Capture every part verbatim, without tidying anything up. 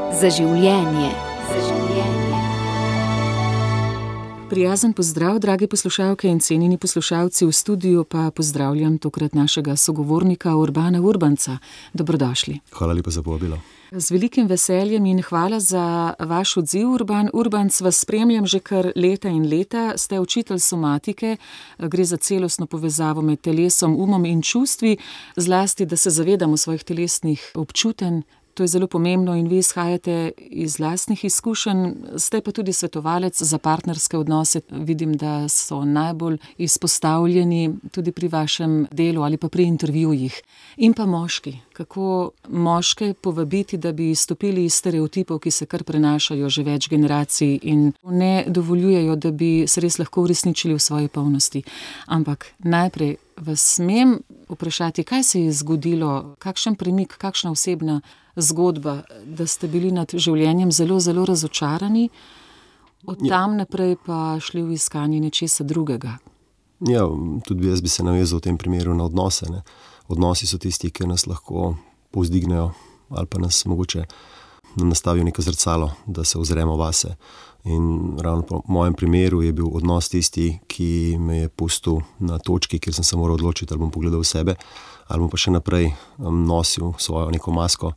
Za življenje. Za življenje. Prijazen pozdrav, dragi poslušalke in cenjeni poslušalci, v studiu pa pozdravljam tokrat našega sogovornika Urbana Urbanca. Dobrodošli. Hvala lepa za povabilo. Z velikim veseljem in hvala za vaš odziv, Urban Urbanc. Vas spremljam že kar leta in leta. Ste učitelj somatike, gre za celostno povezavo med telesom, umom in čustvi, zlasti, da se zavedamo svojih telesnih občutenj. To je zelo pomembno in vi izhajate iz lastnih izkušenj, ste pa tudi svetovalec za partnerske odnose. Vidim, da so najbolj izpostavljeni tudi pri vašem delu ali pa pri intervjujih. In pa moški. Kako moške povabiti, da bi izstopili iz stereotipov, ki se kar prenašajo že več generacij in ne dovoljujejo, da bi se res lahko uresničili v svoji polnosti. Ampak najprej vas smem vprašati, kaj se je zgodilo, kakšen premik, kakšna osebna zgodba, da ste bili nad življenjem zelo, zelo razočarani, od tam naprej pa šli v iskanje nečesa drugega. Ja, tudi jaz bi se navezal v tem primeru na odnose. Ne. Odnosi so tisti, ki nas lahko povzdignejo ali pa nas mogoče nastavijo neko zrcalo, da se ozremo vase. In ravno po mojem primeru je bil odnos tisti, ki me je pustil na točki, kjer sem se moral odločiti, ali bom pogledal v sebe, ali bom pa še naprej um, nosil svojo neko masko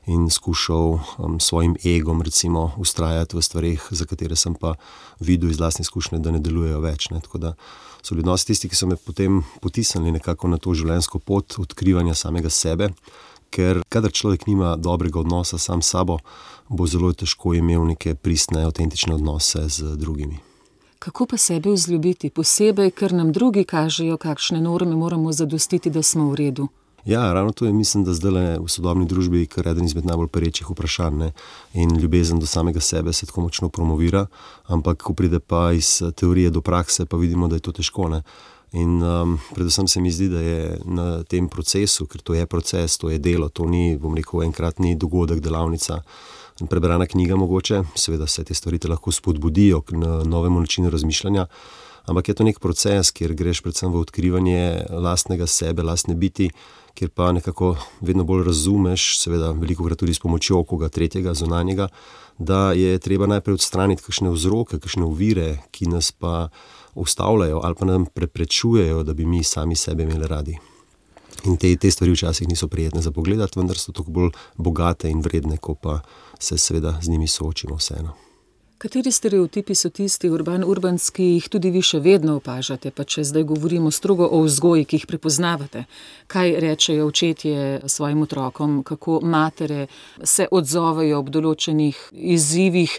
in skušal um, svojim egom recimo ustrajati v stvareh, za katere sem pa videl iz lastne izkušnje, da ne delujejo več. Ne. Tako da so bili odnosi tisti, ki so me potem potisnili nekako na to življenjsko pot odkrivanja samega sebe, ker kadar človek nima dobrega odnosa sam s sabo, bo zelo težko imel neke pristne, avtentične odnose z drugimi. Kako pa sebe vzljubiti, posebej, ker nam drugi kažejo, kakšne norme moramo zadostiti, da smo v redu? Ja, ravno to je, mislim, da zdaj v sodobni družbi kar eden izmed najbolj perečih vprašanj. Ne? In ljubezen do samega sebe se tako močno promovira, ampak ko pride pa iz teorije do prakse, pa vidimo, da je to težko. Ne? In um, predvsem se mi zdi, da je na tem procesu, ker to je proces, to je delo, to ni, bom rekel, enkratni dogodek, delavnica, prebrana knjiga mogoče, seveda vse te stvari te lahko spodbudijo k novemu načinu razmišljanja, ampak je to nek proces, kjer greš predvsem v odkrivanje lastnega sebe, lastne biti, kjer pa nekako vedno bolj razumeš, seveda velikokrat tudi s pomočjo koga tretjega, zunanjega, da je treba najprej odstraniti kakšne vzroke, kakšne ovire, ki nas pa ustavljajo ali pa nam preprečujejo, da bi mi sami sebe imeli radi. In te, te stvari včasih niso prijetne za pogledati, vendar so toliko bolj bogate in vredne, ko pa se seveda z njimi soočimo vseeno. Kateri stereotipi so tisti, Urban Urbanc, ki jih tudi vi še vedno opažate, pa če zdaj govorimo strogo o vzgoji, ki jih prepoznavate? Kaj rečejo očetje svojim otrokom, kako matere se odzovejo ob določenih izzivih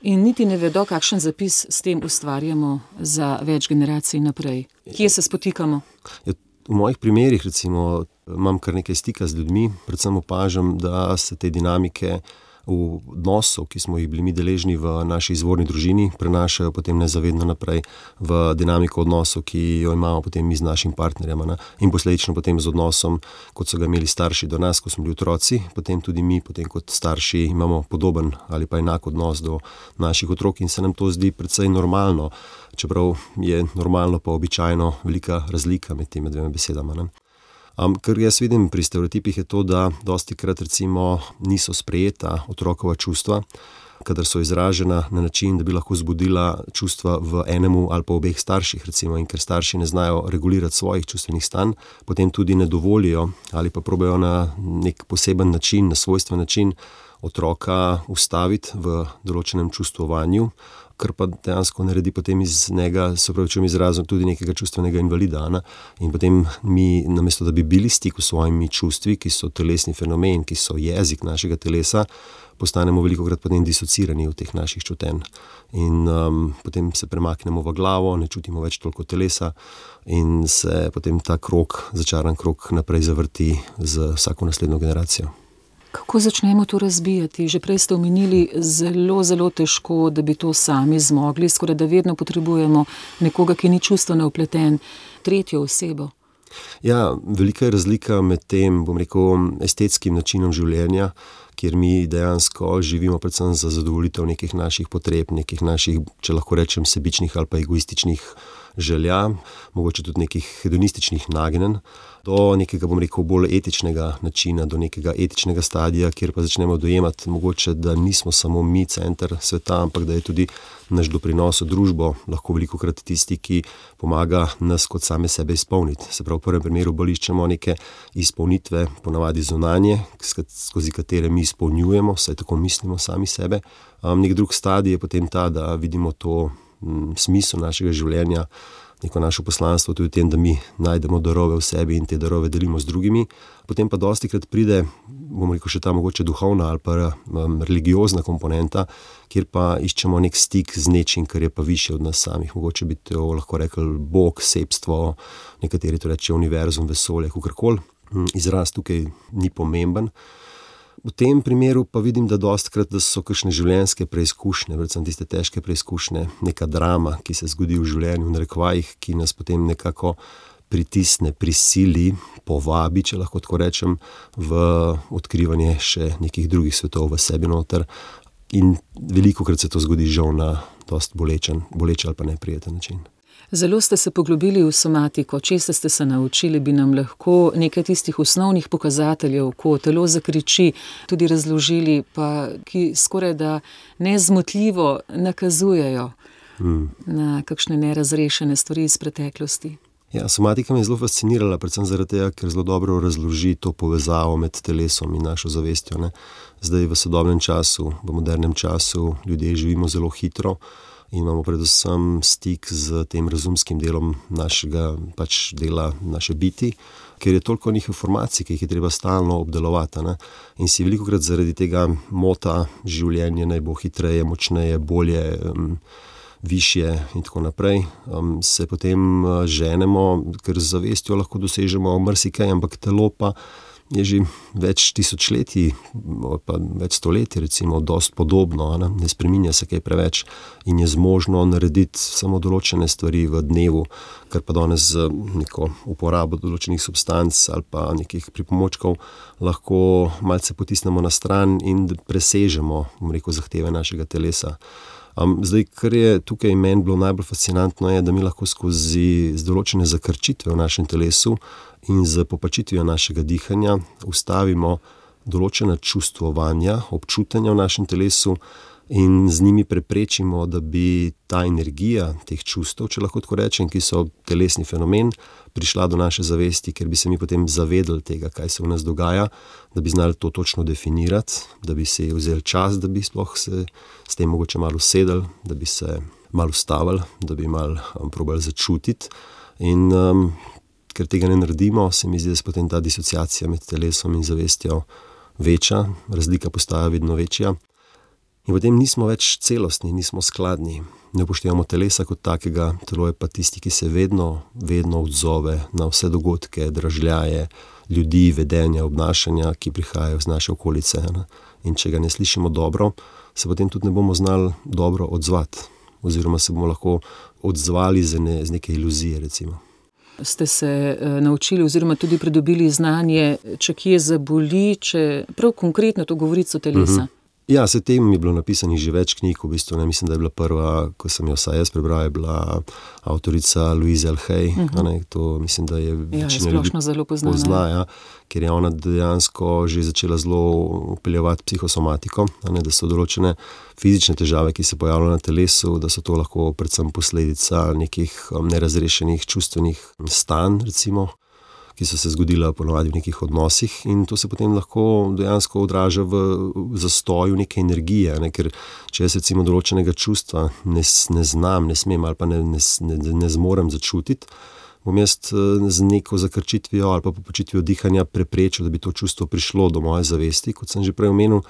in niti ne vedo, kakšen zapis s tem ustvarjamo za več generacij naprej? Kje se spotikamo? V mojih primerih recimo imam kar nekaj stika z ljudmi, predvsem opažam, da se te dinamike v odnosov, ki smo jih bili mi deležni v naši izvorni družini, prenašajo potem nezavedno naprej v dinamiko odnosov, ki jo imamo potem mi z našim partnerjem, ne? In posledično potem z odnosom, kot so ga imeli starši do nas, ko smo bili otroci, potem tudi mi, potem kot starši, imamo podoben ali pa enak odnos do naših otrok in se nam to zdi precej normalno, čeprav je normalno pa običajno velika razlika med temi dvema besedama. Ne? Um, kar jaz vidim pri stereotipih je to, da dostikrat recimo niso sprejeta otrokova čustva, kadar so izražena na način, da bi lahko zbudila čustva v enemu ali pa obeh starših recimo, in ker starši ne znajo regulirati svojih čustvenih stanj, potem tudi ne dovolijo ali pa probajo na nek poseben način, na svojstven način otroka ustaviti v določenem čustvovanju, kar pa dejansko naredi potem iz njega, se pravi, čem izrazom, tudi nekega čustvenega invalida. Ne? In potem mi, namesto da bi bili v stiku s svojimi čustvi, ki so telesni fenomen, ki so jezik našega telesa, postanemo velikokrat potem disocirani v teh naših čutenj. In um, potem se premaknemo v glavo, ne čutimo več toliko telesa in se potem ta krog, začaran krog naprej zavrti z vsako naslednjo generacijo. Kako začnemo to razbijati? Že prej ste omenili, zelo, zelo težko, da bi to sami zmogli, skoraj da vedno potrebujemo nekoga, ki ni čustveno vpleten, tretjo osebo. Ja, velika je razlika med tem, bom rekel, estetskim načinom življenja, kjer mi dejansko živimo predvsem za zadovoljitev nekih naših potreb, nekih naših, če lahko rečem, sebičnih ali pa egoističnih želja, mogoče tudi nekih hedonističnih nagnjenj, do nekega, bom rekel, bolj etičnega načina, do nekega etičnega stadija, kjer pa začnemo dojemati mogoče, da nismo samo mi center sveta, ampak da je tudi naš doprinos v družbo lahko velikokrat tisti, ki pomaga nas kot same sebe izpolniti. Se pravi, v prvem primeru bolj iščemo neke izpolnitve, ponavadi zunanje, skozi katere mi izpolnjujemo, saj tako mislimo sami sebe. Um, nek drug stadij je potem ta, da vidimo to m, smisel našega življenja, neko našo poslanstvo tudi v tem, da mi najdemo darove v sebi in te darove delimo z drugimi. Potem pa dostikrat pride, bomo rekel, še ta mogoče duhovna ali pa um, religiozna komponenta, kjer pa iščemo nek stik z nečim, kar je pa višje od nas samih. Mogoče bi to lahko rekli Bog, sebstvo, nekateri to reče univerzum, vesolje, kakorkoli. Izraz tukaj ni pomemben. V tem primeru pa vidim, da dostikrat, da so kakšne življenjske preizkušnje, predvsem tiste težke preizkušnje, neka drama, ki se zgodi v življenju, v narekovajih, ki nas potem nekako pritisne, prisili, povabi, če lahko tako rečem, v odkrivanje še nekih drugih svetov v sebi noter. In velikokrat se to zgodi žal na dosti bolečen, boleč ali pa neprijeten način. Zelo ste se poglobili v somatiko, česa ste se naučili, bi nam lahko nekaj tistih osnovnih pokazateljev, ko telo zakriči, tudi razložili, pa ki skoraj da nezmotljivo nakazujejo hmm. na kakšne nerazrešene stvari iz preteklosti. Ja, somatika me je zelo fascinirala, predvsem zaradi tega, ker zelo dobro razloži to povezavo med telesom in našo zavestjo. Ne. Zdaj v sodobnem času, v modernem času ljudje živimo zelo hitro, in imamo predvsem stik z tem razumskim delom našega pač dela, naše biti, ker je toliko njih informacij, ki jih je treba stalno obdelovati. Ne? In si velikokrat zaradi tega mota življenje naj bo hitreje, močneje, bolje, um, višje in tako naprej. Um, se potem ženemo, ker z zavestjo lahko dosežemo marsikaj, ampak telo pa je že več tisočletij, pa več stoletij recimo, dosti podobno, ne? ne spreminja se kaj preveč in je zmožno narediti samo določene stvari v dnevu, kar pa danes z neko uporabo določenih substanc ali pa nekih pripomočkov lahko malce potisnemo na stran in presežemo, bom rekel, zahteve našega telesa. Um, zdaj, kar je tukaj meni bilo najbolj fascinantno, je, da mi lahko skozi določene zakrčitve v našem telesu in z popačitvijo našega dihanja ustavimo določena čustvovanja, občutanja v našem telesu in z njimi preprečimo, da bi ta energija teh čustev, če lahko tako rečem, ki so telesni fenomen, prišla do naše zavesti, ker bi se mi potem zavedali tega, kaj se v nas dogaja, da bi znali to točno definirati, da bi se vzeli čas, da bi sploh se s tem mogoče malo usedeli, da bi se malo ustavili, da bi malo um, probali začutiti. In um, ker tega ne naredimo, se mi zdi, da se potem ta disociacija med telesom in zavestjo veča, razlika postaja vedno večja. In potem nismo več celostni, nismo skladni. Ne upoštevamo telesa kot takega, telo je pa tisti, ki se vedno, vedno odzove na vse dogodke, dražljaje, ljudi, vedenja, obnašanja, ki prihajajo z naše okolice. Ne? In če ga ne slišimo dobro, se potem tudi ne bomo znali dobro odzvati. Oziroma se bomo lahko odzvali z, ne, z neke iluzije, recimo. Ste se uh, naučili oziroma tudi pridobili znanje, če kje zaboli, če prav konkretno to govorico telesa? Uh-huh. Ja, se tem je bilo napisanih že več knjig, v bistvu, ne, mislim, da je bila prva, ko sem jo vsaj jaz prebral, je bila avtorica Louise L. Hay, uh-huh. ne, to mislim, da je večina ljudi pozna, ja, ker je ona dejansko že začela zelo upeljevati psihosomatiko, ne, da so določene fizične težave, ki se pojavljajo na telesu, da so to lahko predvsem posledica nekih um, nerazrešenih čustvenih stanj, recimo, ki so se zgodila ponovadi v nekih odnosih in to se potem lahko dejansko odraža v zastoju neke energije, ne? Ker če jaz recimo določenega čustva ne, ne znam, ne smem ali pa ne, ne, ne, ne zmorem začutiti, bom jaz z neko zakrčitvijo ali pa popačitvijo dihanja preprečil, da bi to čustvo prišlo do moje zavesti, kot sem že prej omenil,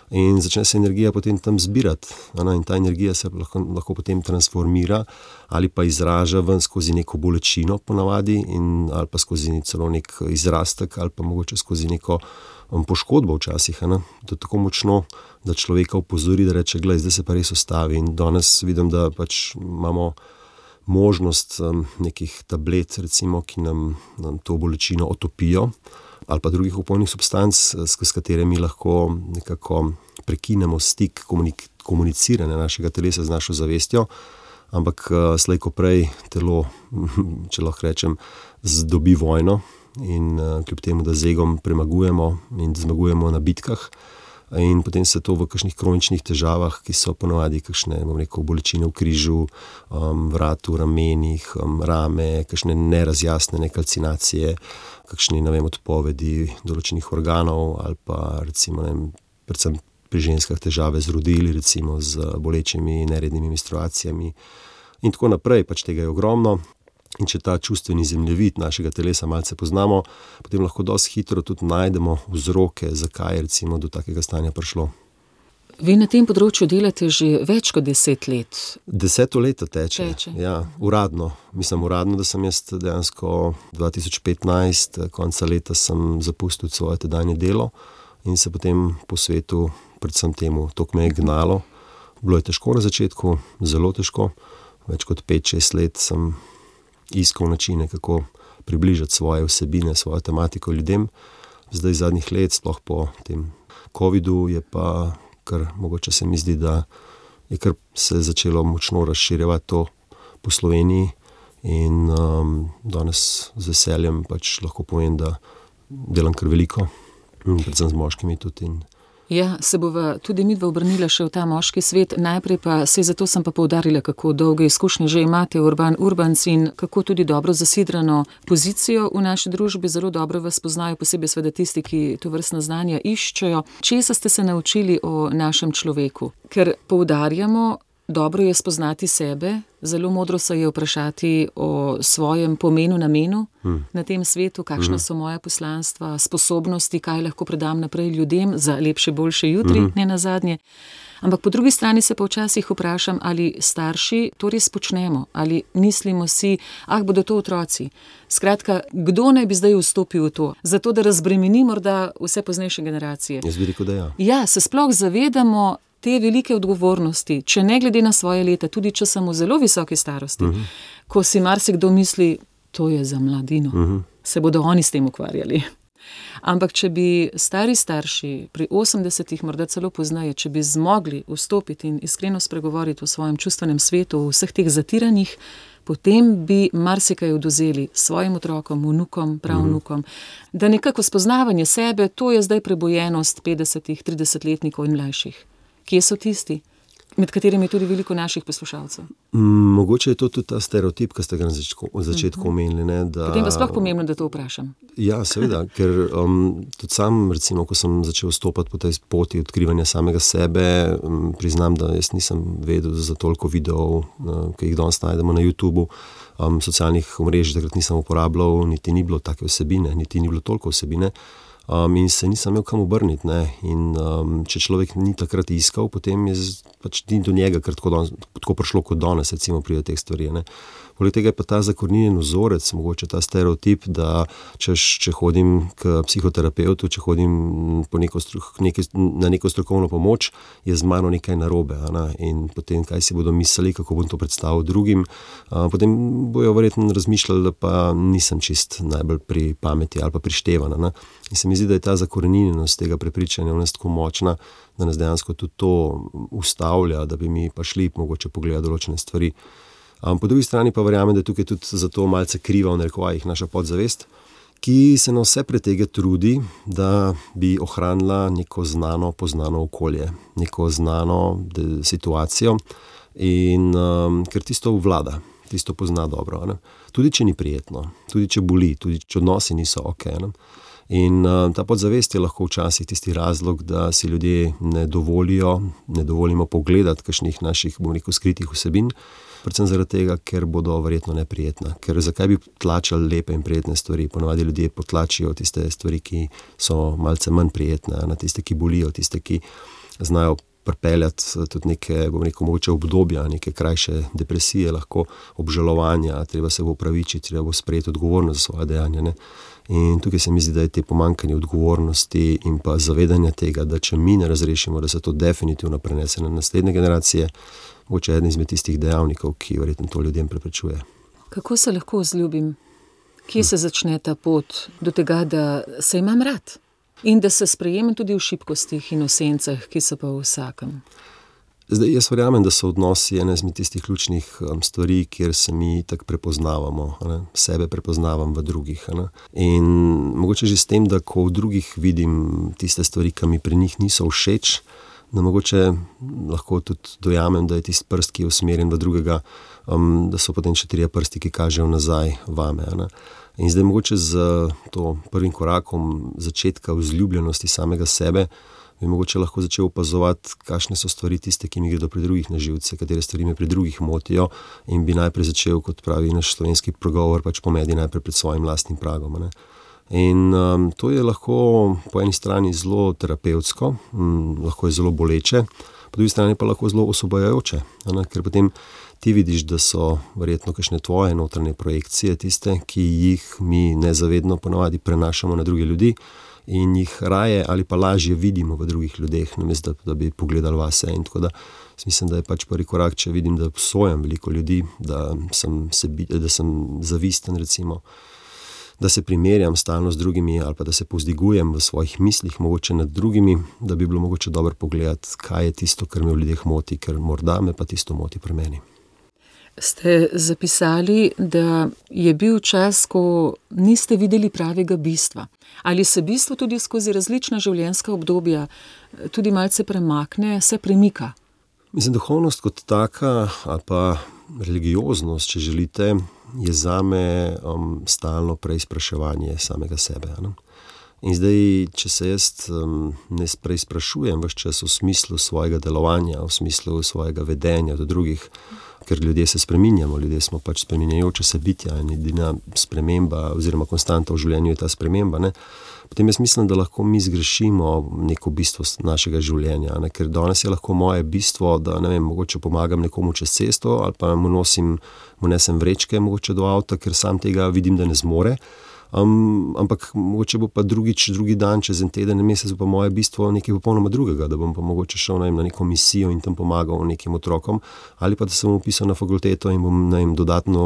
in začne se energija potem tam zbirati. Ne? In ta energija se lahko, lahko potem transformira ali pa izraža ven skozi neko bolečino ponavadi in, ali pa skozi celo nek izrastek ali pa mogoče skozi neko um, poškodbo včasih. Ne? To je tako močno, da človeka upozori, da reče, glej, zdaj se pa res ustavi. In danes vidim, da pač imamo možnost um, nekih tablet, recimo, ki nam, nam to bolečino otopijo, ali pa drugih opojnih substanc, s, s katerimi lahko nekako prekinemo stik komunik- komuniciranja našega telesa z našo zavestjo, ampak slej ko prej telo, če lahko rečem, dobi vojno in kljub temu, da z egom premagujemo in zmagujemo na bitkah, in potem se to v kakšnih kroničnih težavah, ki so ponavadi kakšne, bom rekel, bolečine v križu, um, vratu, ramenih, um, rame, kakšne nerazjasnene kalcinacije, kakšni, ne vem, odpovedi določenih organov ali pa recimo, ne vem, predvsem pri ženskah težave z rodili, recimo z bolečimi nerednimi menstruacijami in tako naprej, pač tega je ogromno. In če ta čustveni zemljevid našega telesa malce poznamo, potem lahko dosti hitro tudi najdemo vzroke, zakaj je recimo do takega stanja prišlo. Vi na tem področju delate že več kot deset let. Deseto leto teče, teče. Ja, uradno. Mislim uradno, da sem jaz dejansko dva tisoč petnajst, konca leta sem zapustil svoje tedanje delo in se potem po svetu, predvsem temu, to me je gnalo. Bilo je težko na začetku, zelo težko. Več kot pet, šest let sem iskal načine, kako približati svoje vsebine, svojo tematiko ljudem. Zdaj zadnjih let, sploh po tem covidu, je pa kar, mogoče se mi zdi, da je kar se začelo močno razširjevati to po Sloveniji in um, danes z veseljem pač lahko povem, da delam kar veliko, predvsem z moškimi tudi. In ja, se bova tudi midva obrnila še v ta moški svet. Najprej pa, saj zato sem pa poudarila, kako dolge izkušnje že imate Urban Urbans in kako tudi dobro zasidrano pozicijo v naši družbi. Zelo dobro vas poznajo, posebej seveda tisti, ki tovrstna znanja iščejo. Česa ste se naučili o našem človeku? Ker poudarjamo, dobro je spoznati sebe, zelo modro se je vprašati o svojem pomenu, namenu hmm. na tem svetu, kakšna hmm. so moja poslanstva, sposobnosti, kaj lahko predam naprej ljudem za lepše, boljše jutri, hmm. ne nazadnje. Ampak po drugi strani se pa včasih vprašam, ali starši to res počnemo, ali mislimo si, ah, bodo to otroci. Skratka, kdo naj bi zdaj vstopil v to, zato da razbremeni morda vse poznejše generacije? Jaz bi rekel, da ja. Ja, se sploh zavedamo te velike odgovornosti, če ne glede na svoje leta, tudi če sem v zelo visoki starosti, uh-huh. ko si marsikdo misli, to je za mladino, uh-huh. se bodo oni s tem ukvarjali. Ampak če bi stari starši pri osemdesetih, morda celo poznaje, če bi zmogli vstopiti in iskreno spregovoriti o svojem čustvenem svetu, o vseh teh zatiranjih, potem bi marsikaj odvzeli svojim otrokom, vnukom, pravnukom, uh-huh. da nekako spoznavanje sebe, to je zdaj prebojenost petdesetih, tridesetletnikov in mlajših. Kje so tisti, med katerimi je tudi veliko naših poslušalcev? Mogoče je to tudi ta stereotip, ki ste ga na začetku, v začetku uh-huh. omenili. Ne, da, potem pa sploh pomembno, da to vprašam. Ja, seveda, ker um, tudi sam, recimo, ko sem začel stopati po tej poti odkrivanja samega sebe, um, priznam, da jaz nisem vedel za toliko videov, uh, ki jih danes najdemo na YouTubu, um, socialnih omrežij takrat nisem uporabljal, niti ni bilo take vsebine, niti ni bilo toliko vsebine. Um, in se nisem imel kam obrniti, ne, in um, če človek ni takrat iskal, potem je pač ni do njega, ker tako, don, tako prišlo kot danes, recimo pri teh stvari, ne. Poleg tega je pa ta zakoreninjen vzorec, mogoče ta stereotip, da če, če hodim k psihoterapevtu, če hodim po neko, neki, na neko strokovno pomoč, je z mano nekaj narobe, ne? In potem kaj si bodo mislili, kako bom to predstavil drugim, a, potem bojo verjetno razmišljali, da pa nisem čist najbolj pri pameti ali pa prištevan, ne? In se mi zdi, da je ta zakoreninjenost tega prepričanja v nas tako močna, da nas dejansko tudi to ustavlja, da bi mi pa šli mogoče pogledati določene stvari. Um, po drugi strani pa verjamem, da je tukaj tudi zato malce kriva v narekovajih naša podzavest, ki se na vse pretege trudi, da bi ohranila neko znano, poznano okolje, neko znano de, situacijo in um, ker tisto vlada, tisto pozna dobro, ne? Tudi če ni prijetno, tudi če boli, tudi če odnosi niso ok. Ne? In uh, ta podzavest je lahko včasih tisti razlog, da si ljudje ne dovolijo, ne dovolimo pogledati kakšnih naših, bom rekel, skritih vsebin, predvsem zaradi tega, ker bodo verjetno neprijetna. Ker zakaj bi tlačali lepe in prijetne stvari? Ponavadi ljudje potlačijo tiste stvari, ki so malce manj prijetne, na tiste, ki bolijo, tiste, ki znajo pripeljati tudi neke, bom rekel, mogoče obdobja, neke krajše depresije, lahko obžalovanja, treba se bo opravičiti, treba bo sprejeti odgovornost za svoje dejanja, ne? In tukaj se mi zdi, da je te pomanjkanje odgovornosti in pa zavedanja tega, da če mi ne razrešimo, da se to definitivno prenese na naslednje generacije, mogoče eden izmed tistih dejavnikov, ki verjetno to ljudem preprečuje. Kako se lahko vzljubim? Kje se začne ta pot do tega, da se imam rad? In da se sprejemam tudi v šibkostih in v sencah, ki so pa v vsakem? Zdaj, jaz verjamem, da so odnosi ena izmed tistih ključnih um, stvari, kjer se mi tako prepoznavamo, ne? Sebe prepoznavam v drugih. Ne? In mogoče že s tem, da ko v drugih vidim tiste stvari, ki mi pri njih niso všeč, da mogoče lahko tudi dojamem, da je tisti prst, ki je usmerjen v drugega, um, da so potem še trije prsti, ki kažejo nazaj vame. Ne? In zdaj mogoče z to prvim korakom začetka vzljubljenosti samega sebe bi mogoče lahko začel opazovati, kakšne so stvari tiste, ki mi gredo pri drugih na živce, katere stvari me pri drugih motijo, in bi najprej začel, kot pravi naš slovenski pregovor, pač pomedi najprej pred svojim lastnim pragom. Ne? In um, to je lahko po eni strani zelo terapevtsko, um, lahko je zelo boleče, po drugi strani pa lahko zelo osvobajajoče, ne? Ker potem ti vidiš, da so verjetno kakšne tvoje notranje projekcije tiste, ki jih mi nezavedno ponavadi prenašamo na druge ljudi, in jih raje ali pa lažje vidimo v drugih ljudeh, namesto da, da bi pogledali vase. In tako da mislim, da je pač prvi korak, če vidim, da obsojam veliko ljudi, da sem, sebi, da sem zavisten, recimo, da se primerjam stalno z drugimi ali pa da se povzdigujem v svojih mislih mogoče nad drugimi, da bi bilo mogoče dobro pogledati, kaj je tisto, kar me v ljudeh moti, ker morda me pa tisto moti pri meni. Ste zapisali, da je bil čas, ko niste videli pravega bistva. Ali se bistvo tudi skozi različna življenjska obdobja tudi malce premakne, se premika? Mislim, duhovnost kot taka, ali pa religioznost, če želite, je zame um, stalno preizpraševanje samega sebe. Ne? In zdaj, če se jaz um, ne preizprašujem ves čas v smislu svojega delovanja, v smislu svojega vedenja do drugih, ker ljudje se spreminjamo, ljudje smo pač spreminjajoče se bitja in edina sprememba oziroma konstanta v življenju je ta sprememba, ne? Potem jaz mislim, da lahko mi zgrešimo neko bistvo našega življenja, ne? Ker danes je lahko moje bistvo, da ne vem, mogoče pomagam nekomu čez cesto ali pa mu nosim, mu nesem vrečke mogoče do avta, ker sam tega vidim, da ne zmore. Um, ampak mogoče bo pa drugič, drugi dan, čez en teden, en mesec pa moje bistvo nekaj popolnoma drugega, da bom pa mogoče šel, ne vem, na neko misijo in tam pomagal nekim otrokom, ali pa da sem upisal na fakulteto in bom, ne vem, dodatno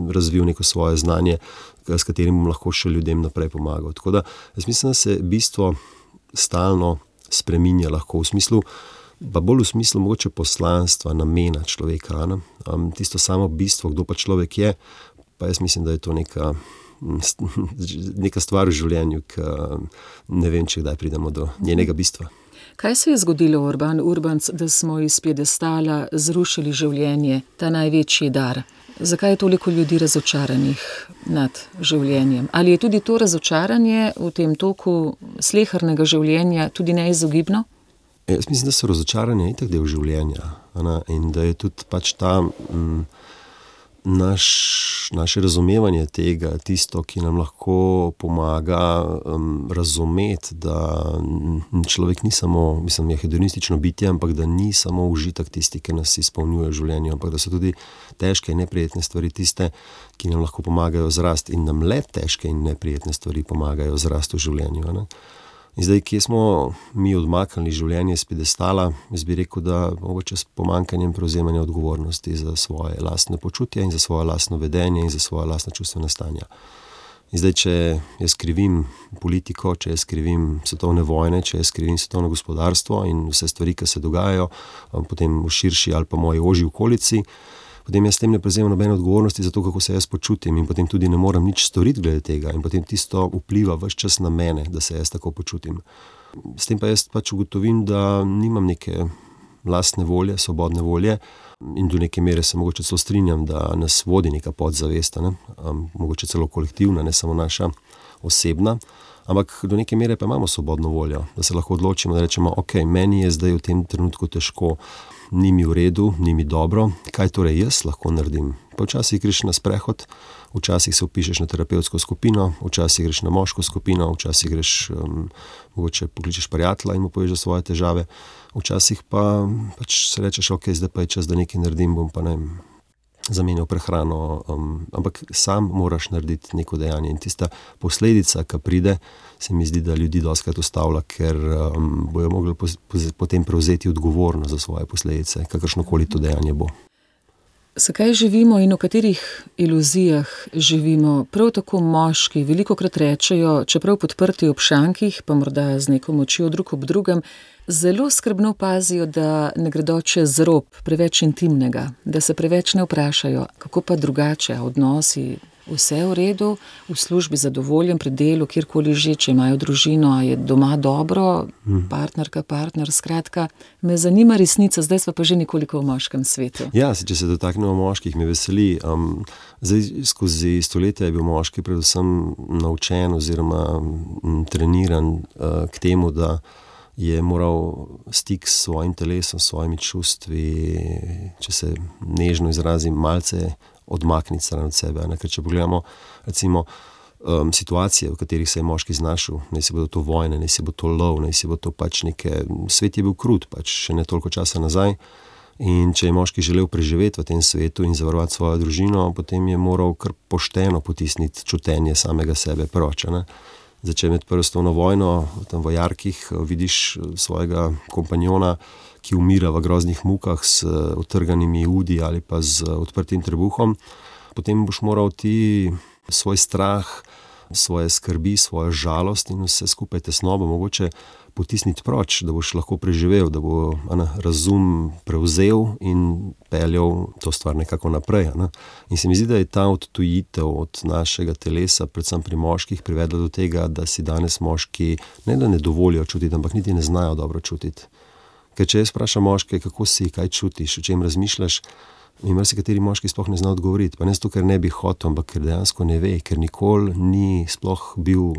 razvil neko svoje znanje, s katerim bom lahko še ljudem naprej pomagal. Tako da jaz mislim, da se bistvo stalno spreminja lahko v smislu, pa bolj v smislu mogoče poslanstva, namena človeka. Ne? Um, tisto samo bistvo, kdo pa človek je, pa jaz mislim, da je to neka neka stvar v življenju, ki ne vem, če kdaj pridemo do njenega bistva. Kaj se je zgodilo, Urban Urbanc, da smo iz piedestala zrušili življenje, ta največji dar? Zakaj je toliko ljudi razočaranih nad življenjem? Ali je tudi to razočaranje v tem toku slehernega življenja tudi neizogibno? Jaz mislim, da so razočaranje itak del življenja, ne? In da je tudi pač ta mm, Naš, naše razumevanje tega, tisto, ki nam lahko pomaga um, razumeti, da človek ni samo, mislim, je hedonistično bitje, ampak da ni samo užitek tisti, ki nas izpolnjuje v življenju, ampak da so tudi težke in neprijetne stvari tiste, ki nam lahko pomagajo zrasti, in nam le težke in neprijetne stvari pomagajo zrasti v življenju. Ne? In zdaj, kje smo mi odmaknili življenje iz piedestala, jaz bi rekel, da mogoče s pomanjkanjem prevzemanja odgovornosti za svoje lastne počutje in za svoje lastno vedenje in za svoje lastne čustvene stanja. In zdaj, če jaz krivim politiko, če jaz krivim svetovne vojne, če jaz krivim svetovno gospodarstvo in vse stvari, ki se dogajajo, potem v širši ali pa moji ožji okolici, potem jaz s tem ne prevzemam nobene odgovornosti za to, kako se jaz počutim, in potem tudi ne morem nič storiti glede tega, in potem tisto vpliva ves čas na mene, da se jaz tako počutim. S tem pa jaz pač ugotovim, da nimam neke lastne volje, svobodne volje, in do neke mere se mogoče celo strinjam, da nas vodi neka podzavest, ne? Um, mogoče celo kolektivna, ne samo naša osebna, ampak do neke mere pa imamo svobodno voljo, da se lahko odločimo, da rečemo, ok, meni je zdaj v tem trenutku težko, ni mi v redu, ni mi dobro, kaj torej jaz lahko naredim? Pa včasih greš na sprehod, včasih se vpišeš na terapevtsko skupino, včasih greš na moško skupino, včasih greš, um, mogoče pokličeš prijatelja in mu poveš za svoje težave, včasih pa pač se rečeš, ok, zdaj pa je čas, da nekaj naredim, bom pa ne vem, zamenjal prehrano, um, ampak sam moraš narediti neko dejanje, in tista posledica, ki pride, se mi zdi, da ljudi dostikrat ustavlja, ker um, bojo mogli po, po, potem prevzeti odgovornost za svoje posledice, kakršnokoli to dejanje bo. Zakaj živimo in v katerih iluzijah živimo? Prav tako moški velikokrat rečejo, čeprav podprti ob šankih, pa morda z neko močjo drug ob drugem, zelo skrbno pazijo, da ne gredo čez rob preveč intimnega, da se preveč ne vprašajo, kako pa drugače, odnosi, vse v redu, v službi zadovoljen, pri delu, kjerkoli že, če imajo družino, a je doma dobro, partnerka, partner, skratka. Me zanima resnica, zdaj sva pa že nekoliko v moškem svetu. Ja, če se dotaknemo moških, me veseli. Um, zdaj, skozi stoletja je bil moški predvsem naučen oziroma m, treniran uh, k temu, da je moral stik s svojim telesom, s svojimi čustvi, če se nežno izrazim, malce odmakniti stran od sebe. Ne? Ker če pogledamo recimo um, situacije, v katerih se je moški znašel, naj si bodo to vojne, naj si bo to lov, naj si bo to pač neke... Svet je bil krut, pač še ne toliko časa nazaj. In če je moški želel preživeti v tem svetu in zavarovati svojo družino, potem je moral kar pošteno potisniti čutenje samega sebe proč. Zdaj, med prvo svetovno vojno, tam v jarkih, vidiš svojega kompanjona, ki umira v groznih mukah s utrganimi udi ali pa z odprtim trebuhom, potem boš moral ti svoj strah, svoje skrbi, svojo žalost in vse skupaj tesnobo mogoče potisniti proč, da boš lahko preživel, da bo ana, razum prevzel in peljal to stvar nekako naprej. Ana. In se mi zdi, da je ta odtujitev od našega telesa, predvsem pri moških, privedla do tega, da si danes moški ne da ne dovolijo čutiti, ampak niti ne znajo dobro čutiti. Ker če jaz vprašam moške, kako si, kaj čutiš, o čem razmišljaš, in marsikateri moški sploh ne zna odgovoriti. Pa ne zato, ker ne bi hotel, ampak ker dejansko ne ve, ker nikoli ni sploh bil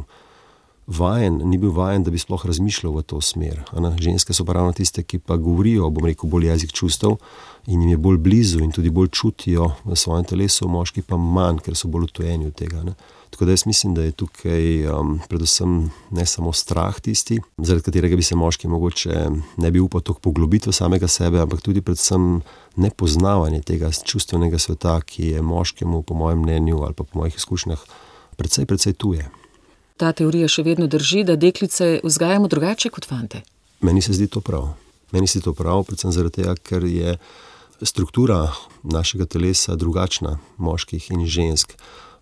vajen, ni bil vajen, da bi sploh razmišljal v to smer. Ana, ženske so pa ravno tiste, ki pa govorijo, bom rekel, bolj jezik čustev in jim je bolj blizu in tudi bolj čutijo v svojem telesu, moški pa manj, ker so bolj utojeni od tega. Ne. Tako da jaz mislim, da je tukaj um, predvsem ne samo strah tisti, zaradi katerega bi se moški mogoče ne bi upal toliko poglobiti v samega sebe, ampak tudi predvsem nepoznavanje tega čustvenega sveta, ki je moškemu, po mojem mnenju ali pa po mojih izkušnjah, precej, precej tuje. Ta teorija še vedno drži, da deklice vzgajamo drugače kot fante? Meni se zdi to prav. Meni se zdi to prav, predvsem zaradi tega, ker je struktura našega telesa drugačna, moških in žensk.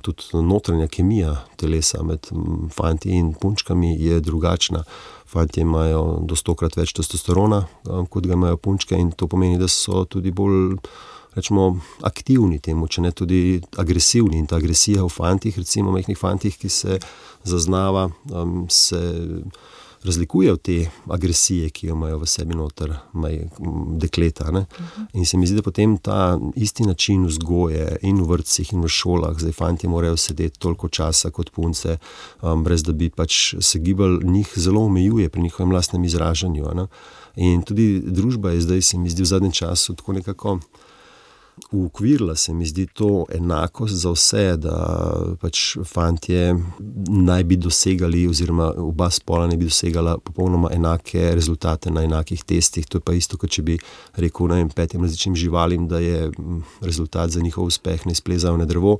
Tudi notranja kemija telesa med fanti in punčkami je drugačna. Fantje imajo do stokrat več testosterona, kot ga imajo punčke, in to pomeni, da so tudi bolj, rečemo, aktivni temu, če ne tudi agresivni. In ta agresija v fantih, recimo majhnih fantih, ki se zaznava, se razlikuje od te agresije, ki jo imajo v sebi noter maj, dekleta. Ne? In se mi zdi, da potem ta isti način vzgoje in v vrtcih in v šolah, zdaj fantje morajo sedeti toliko časa kot punce, um, brez da bi pač se gibali, njih zelo omejuje pri njihovem lastnem izražanju. Ne? In tudi družba je zdaj, se mi zdi, v zadnjem času tako nekako uokvirila, se mi zdi to enakost za vse, da pač fantje naj bi dosegali oziroma oba spola naj bi dosegala popolnoma enake rezultate na enakih testih. To je pa isto, kot če bi rekel, ne vem, petim različnim živalim, da je rezultat za njihov uspeh ne splezajo na drevo.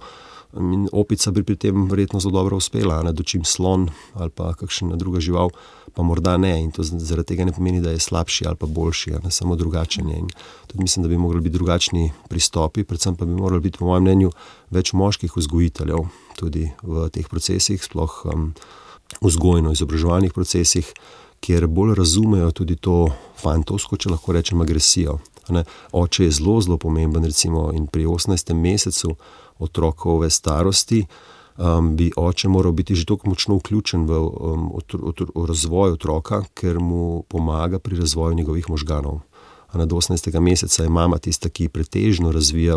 In opica bi pri tem verjetno zelo dobro uspela, ne, dočim slon ali pa kakšna druga žival, pa morda ne. In to zaradi tega ne pomeni, da je slabši ali pa boljši, ne, samo drugačen je. In tudi mislim, da bi morali biti drugačni pristopi, predvsem pa bi morali biti, po mojem mnenju, več moških vzgojiteljev tudi v teh procesih, sploh um, vzgojno-izobraževalnih procesih, kjer bolj razumejo tudi to fantovsko, če lahko rečem, agresijo. Ne. Oče je zelo, zelo pomemben, recimo, in pri osemnajstem mesecu otrokove starosti um, bi oče moral biti že toliko močno vključen v, um, otro, otro, v razvoj otroka, ker mu pomaga pri razvoju njegovih možganov. A do osemnajstega meseca je mama tista, ki pretežno razvija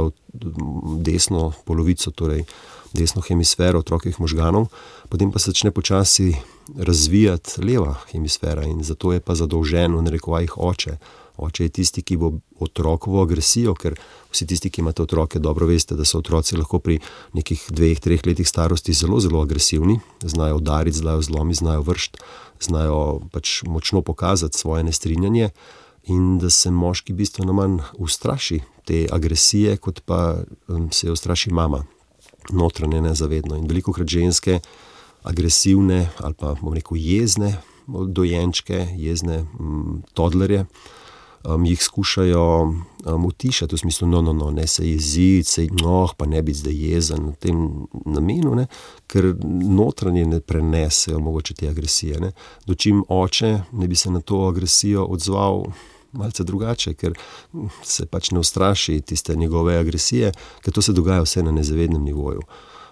desno polovico, torej desno hemisfero otrokovih možganov, potem pa se začne počasi razvijati leva hemisfera in zato je pa zadolžen v narekovajih oče. Oče je tisti, ki bo otrokovo agresijo, ker vsi tisti, ki imate otroke, dobro veste, da so otroci lahko pri nekih dveh, treh letih starosti zelo, zelo agresivni, znajo udariti, znajo zlomiti, znajo vršiti, znajo pač močno pokazati svoje nestrinjanje in da se moški bistveno manj ustraši te agresije, kot pa um, se jo ustraši mama, notranje nezavedno. In velikokrat ženske agresivne ali pa, bom rekel, jezne dojenčke, jezne mm, todlerje, um, jih skušajo um, utišati v smislu, no, no, no, ne se jeziti, se noh, pa ne biti zdaj jezen v tem namenu, ne, ker notranje ne prenesejo mogoče te agresije. Ne. Dočim oče ne bi se na to agresijo odzval malce drugače, ker se pač ne ustraši tiste njegove agresije, ker to se dogaja vse na nezavednem nivoju.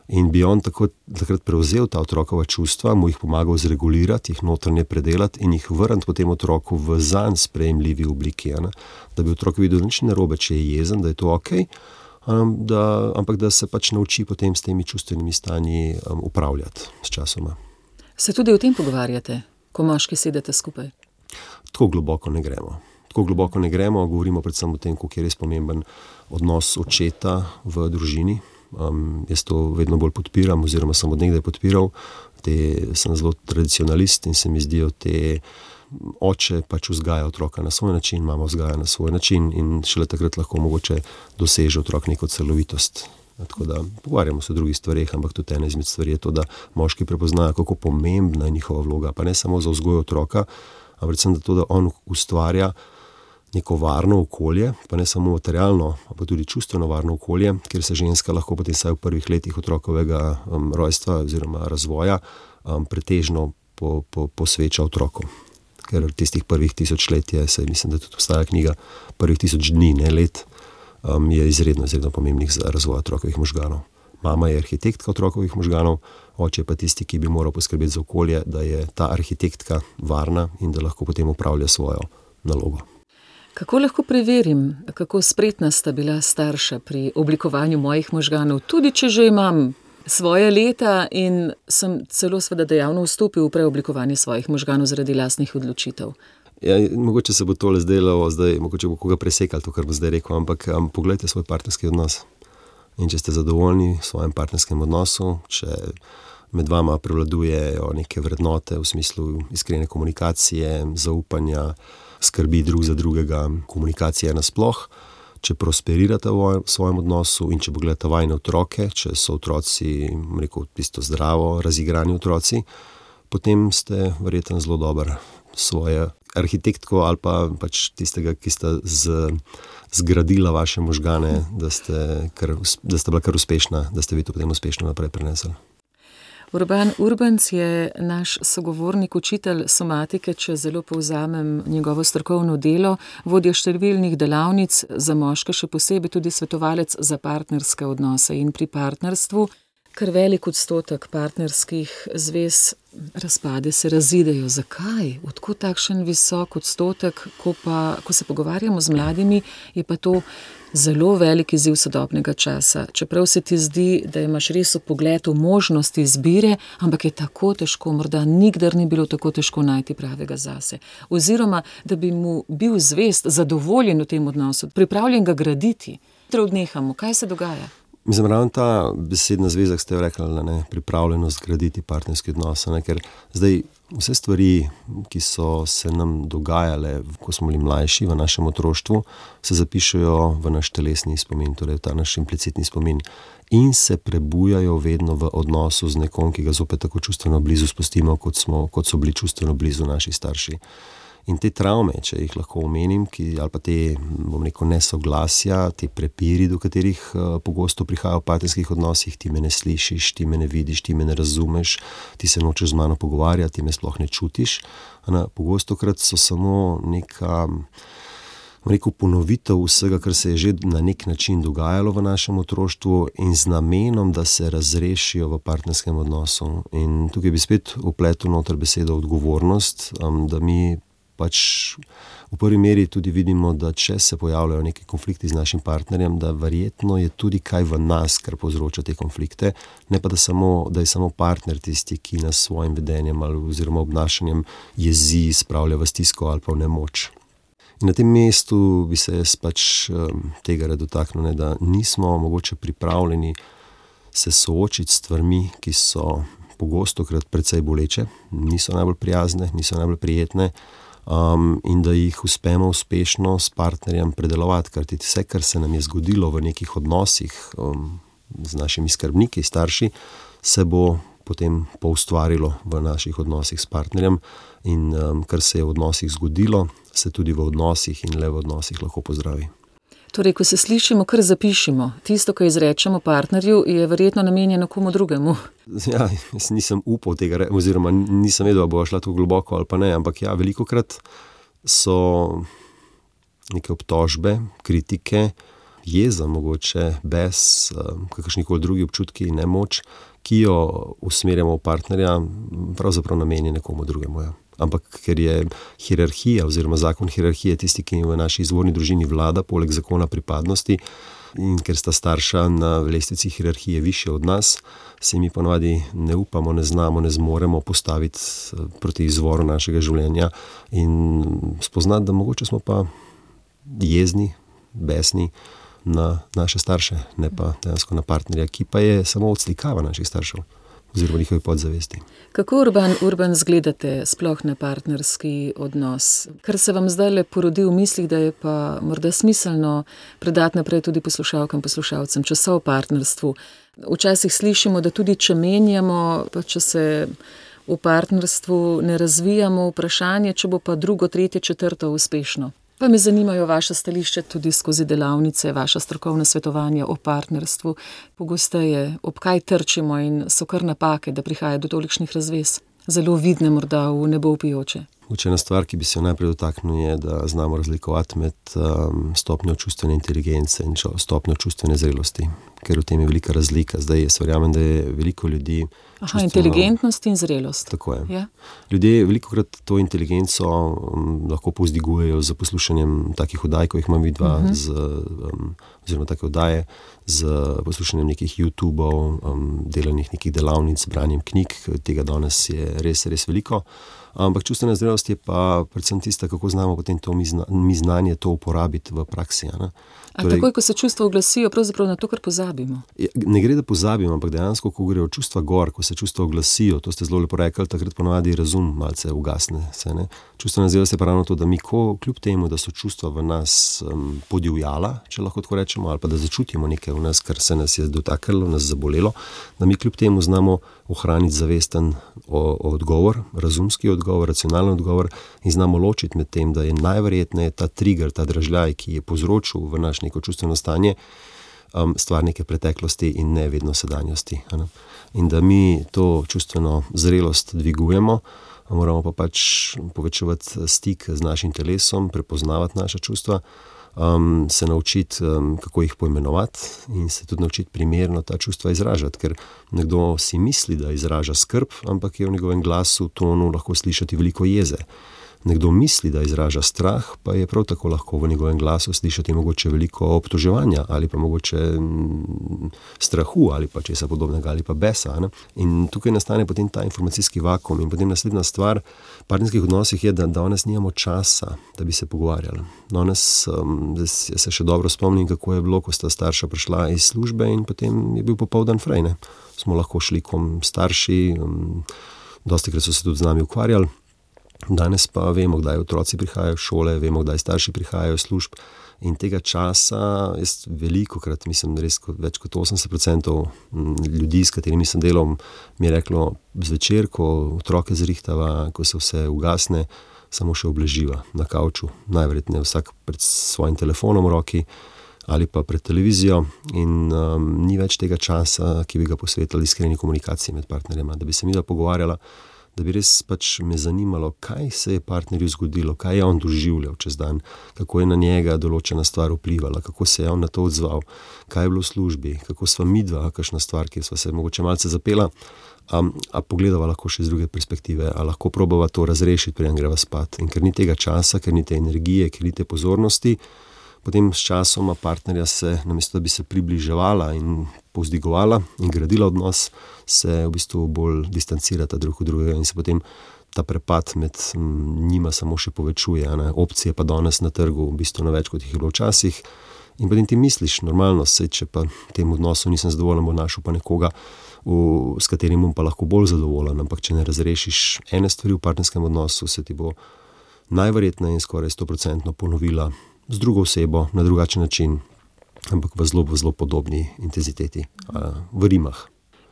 In bi on tako, takrat prevzel ta otrokova čustva, mu jih pomagal zregulirati, jih notranje predelati in jih vrniti potem otroku v zanj sprejemljivi obliki. Ne? Da bi otrok videl nič narobe, če je jezen, da je to ok, um, da, ampak da se pač nauči potem s temi čustvenimi stanji um, upravljati s časoma. Se tudi o tem pogovarjate, ko moški sedete skupaj? Tako globoko ne gremo. Tako globoko ne gremo, govorimo predvsem o tem, koliko je res pomemben odnos očeta v družini. Um, jaz to vedno bolj podpiram, oziroma sem od nekdaj podpiral. Te, sem zelo tradicionalist in se mi zdijo te oče pač vzgaja otroka na svoj način, mama vzgaja na svoj način in šele takrat lahko mogoče doseže otrok neko celovitost. Tako da pogovarjamo se o drugih stvareh, ampak tudi ena izmed stvari je to, da moški prepoznajo, kako pomembna je njihova vloga, pa ne samo za vzgojo otroka, ampak predvsem da to, da on ustvarja neko varno okolje, pa ne samo materialno, pa tudi čustveno varno okolje, kjer se ženska lahko potem vsaj v prvih letih otrokovega um, rojstva oziroma razvoja um, pretežno po, po, posveča otroku. Ker tistih prvih tisoč let je, se mislim, da tudi obstaja knjiga, prvih tisoč dni, ne let, um, je izredno, izredno pomembnih za razvoj otrokovih možganov. Mama je arhitektka otrokovih možganov, oče je pa tisti, ki bi moral poskrbeti za okolje, da je ta arhitektka varna in da lahko potem upravlja svojo nalogo. Kako lahko preverim, kako spretna sta bila starša pri oblikovanju mojih možganov, tudi če že imam svoje leta in sem celo seveda dejavno vstopil v preoblikovanje svojih možganov zaradi lastnih odločitev? Ja, mogoče se bo tole zdelo, zdaj, mogoče bo koga presekal to, kar bo zdaj rekel, ampak um, poglejte svoj partnerski odnos. In če ste zadovoljni v svojem partnerskem odnosu, če med vama prevladujejo neke vrednote v smislu iskrene komunikacije, zaupanja, skrbi drug za drugega, komunikacija nasploh, če prosperirate v svojem odnosu in če pogledate vajne otroke, če so otroci, rekel, tisto zdravo, razigrani otroci, potem ste verjetno zelo dober svoje arhitektko ali pa pač tistega, ki sta z, zgradila vaše možgane, da ste, kar, da ste bila kar uspešna, da ste vi to potem uspešno naprej prenesli. Urban Urbanc je naš sogovornik, učitelj somatike, če zelo povzamem njegovo strokovno delo, vodja številnih delavnic za moške, še posebej tudi svetovalec za partnerske odnose in pri partnerstvu. Kar velik odstotek partnerskih zvez razpade, se razidejo. Zakaj? Odkud takšen visok odstotek? Ko, pa, ko se pogovarjamo z mladimi, je pa to zelo velik izziv sodobnega časa. Čeprav se ti zdi, da imaš res vpogled v možnosti izbire, ampak je tako težko, morda nikdar ni bilo tako težko najti pravega zase. Oziroma, da bi mu bil zvest, zadovoljen v tem odnosu, pripravljen ga graditi. Odnehamo. Kaj se dogaja? Mislim, ravno ta besedna zveza, ste jo rekli, ne, pripravljenost graditi partnerski odnos, ne, ker zdaj vse stvari, ki so se nam dogajale, ko smo bili mlajši v našem otroštvu, se zapišejo v naš telesni spomin, torej ta naš implicitni spomin in se prebujajo vedno v odnosu z nekom, ki ga zopet tako čustveno blizu spustimo, kot, smo, kot so bili čustveno blizu naši starši. In te travme, če jih lahko omenim, ki, ali pa te, bom rekel, nesoglasja, te prepiri, do katerih uh, pogosto prihajajo v partnerskih odnosih, ti me ne slišiš, ti me ne vidiš, ti me ne razumeš, ti se nočeš z mano pogovarjati, ti me sploh ne čutiš. Ana, pogostokrat so samo neka, bom rekel, ponovitev vsega, kar se je že na nek način dogajalo v našem otroštvu in z namenom, da se razrešijo v partnerskem odnosu. In tukaj bi spet vpletel noter besedo odgovornost, um, da mi pač v prvi meri tudi vidimo, da če se pojavljajo neki konflikti z našim partnerjem, da verjetno je tudi kaj v nas, kar povzroča te konflikte, ne pa da, samo, da je samo partner tisti, ki nas s svojim vedenjem ali oziroma obnašanjem jezi, spravlja v stisko ali pa v nemoč. In na tem mestu bi se jaz pač um, tega rad dotaknil, da nismo mogoče pripravljeni se soočiti s stvarmi, ki so pogostokrat precej boleče, niso najbolj prijazne, niso najbolj prijetne, Um, in da jih uspemo uspešno s partnerjem predelovati, ker vse, kar se nam je zgodilo v nekih odnosih um, z našimi skrbniki, starši, se bo potem poustvarilo v naših odnosih s partnerjem in um, kar se je v odnosih zgodilo, se tudi v odnosih in le v odnosih lahko pozdravi. Torej, ko se slišimo, kar zapišimo. Tisto, kar izrečemo partnerju, je verjetno namenjeno komu drugemu. Ja, jaz nisem upal tega, re, oziroma nisem vedel, da bo šla tako globoko ali pa ne, ampak ja, velikokrat so neke obtožbe, kritike, jeza mogoče, bes, kakršnikoli drugi občutki, nemoč, ki jo usmerjamo v partnerja, pravzaprav namenjene komu drugemu. Ja. Ampak ker je hierarhija oziroma zakon hierarhije tisti, ki v naši izvorni družini vlada, poleg zakona pripadnosti, in ker sta starša na lestvici hierarhije višje od nas, se mi ponavadi ne upamo, ne znamo, ne zmoremo postaviti proti izvoru našega življenja in spoznati, da mogoče smo pa jezni, besni na naše starše, ne pa dejansko na partnerja, ki pa je samo odslikava naših staršev oziroma njihovi podzavesti. Kako Urban, Urban zgledate sploh na partnerski odnos? Kar se vam zdaj le porodi v mislih, da je pa morda smiselno predati naprej tudi poslušalkam, poslušalcem, če so v partnerstvu. Včasih slišimo, da tudi če menjamo, pa če se v partnerstvu ne razvijamo, vprašanje, če bo pa drugo, tretje, četrto uspešno. Pa me zanimajo vaše stališče tudi skozi delavnice, vaša strokovna svetovanja o partnerstvu. Pogosteje, ob kaj trčimo in so kar napake, da prihaja do tolikšnih razvez. Zelo vidne morda v nebo vpijoče. Ena stvar, ki bi se jo najprej dotaknil, je, da znamo razlikovati med um, stopnjo čustvene inteligence in stopnjo čustvene zrelosti, ker v tem je velika razlika. Zdaj jaz verjamem, da je veliko ljudi Aha, čustveno... inteligentnost in zrelost. Tako je. Ja? Ljudje velikokrat to inteligenco um, lahko povzdigujejo z poslušanjem takih oddaj, ko jih imam vidva, uh-huh. z, um, oziroma take oddaje, z poslušanjem nekih YouTubeov, um, delanih nekih delavnic, branjem knjig, tega danes je res, res veliko. Ampak čustvena zrelost je pa predvsem tista, kako znamo potem to mi, zna, mi znanje to uporabiti v praksi. Ne? A torej, takoj, ko se čustva oglasijo, pravzaprav na to, kar pozabimo? Ne gre, da pozabimo, ampak dejansko, ko grejo čustva gor, ko se čustva oglasijo, to ste zelo lepo rekli, takrat ponavadi razum malce ugasne. Se, ne? Čustvena zrelost je pa ravno to, da mi ko, kljub temu, da so čustva v nas um, podivjala, če lahko tako rečemo, ali pa da začutimo nekaj v nas, kar se nas je dotaknilo, nas zabolelo, da mi kljub temu znamo ohraniti zavesten o, o odgovor, razumski odgovor, racionalni odgovor in znamo ločiti med tem, da je najverjetneje ta trigger, ta dražljaj, ki je povzročil v naš neko čustveno stanje, um, stvar neke preteklosti in ne vedno sedanjosti. Ne? In da mi to čustveno zrelost dvigujemo, moramo pa pač povečevati stik z našim telesom, prepoznavati naša čustva, Um, se naučiti, um, kako jih poimenovati in se tudi naučiti primerno ta čustva izražati, ker nekdo si misli, da izraža skrb, ampak je v njegovem glasu, tonu lahko slišati veliko jeze. Nekdo misli, da izraža strah, pa je prav tako lahko v njegovem glasu slišati mogoče veliko obtoževanja ali pa mogoče m, strahu ali pa česa podobnega ali pa besa. Ne? In tukaj nastane potem ta informacijski vakuum in potem naslednja stvar v partnerskih odnosih je, da danes nimamo časa, da bi se pogovarjali. Danes um, jaz se še dobro spomnim, kako je bilo, ko sta starša prišla iz službe in potem je bil popoldan fraj. Ne? Smo lahko šli kom starši, um, dostikrat so se tudi z nami ukvarjali. Danes pa vemo, kdaj otroci prihajajo v šole, vemo, kdaj starši prihajajo v služb in tega časa, jaz velikokrat, mislim, res kot, več kot osemdeset procentov ljudi, s katerimi sem delal, mi je reklo zvečer, ko otroke zrihtava, ko se vse ugasne, samo še obleživa na kavču, najverjetneje vsak pred svojim telefonom v roki ali pa pred televizijo in um, ni več tega časa, ki bi ga posvetili iskreni komunikaciji med partnerjema, da bi se mi da pogovarjala, da bi res pač me zanimalo, kaj se je partnerju zgodilo, kaj je on doživljal čez dan, kako je na njega določena stvar vplivala, kako se je on na to odzval, kaj je bilo v službi, kako sva midva, kakšna stvar, kjer sva se mogoče malce zapela, a, a pogledava lahko še z druge perspektive, a lahko probava to razrešiti, preden greva spat. In ker ni tega časa, ker ni te energije, ker ni te pozornosti, potem s časoma partnerja se, namesto da bi se približevala in povzdigovala in gradila odnos, se v bistvu bolj distancirata drug od drugega in se potem ta prepad med njima samo še povečuje. Ne? Opcije pa danes na trgu v bistvu na več, kot jih je bilo včasih. In potem ti misliš, normalno, sej, če pa tem odnosu nisem zadovoljen, bo našel pa nekoga, v, s katerim bom pa lahko bolj zadovoljen. Ampak če ne razrešiš ene stvari v partnerskem odnosu, se ti bo najverjetneje in skoraj sto procentno ponovila z drugo osebo, na drugačen način, ampak v zelo, v zelo podobni intenziteti, v rimah.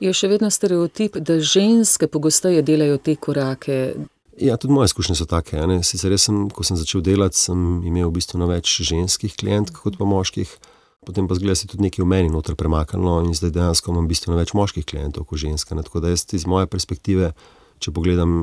Je še vedno stereotip, da ženske pogosteje delajo te korake? Ja, tudi moje izkušnje so take. Ne? Sicer jaz sem, ko sem začel delati, sem imel v bistvu več ženskih klientk kot pa moških. Potem pa zgleda se tudi nekaj v meni noter premaknilo in zdaj dejansko imam bistveno več moških klientov kot ženska. Ne? Tako da jaz iz moje perspektive, če pogledam,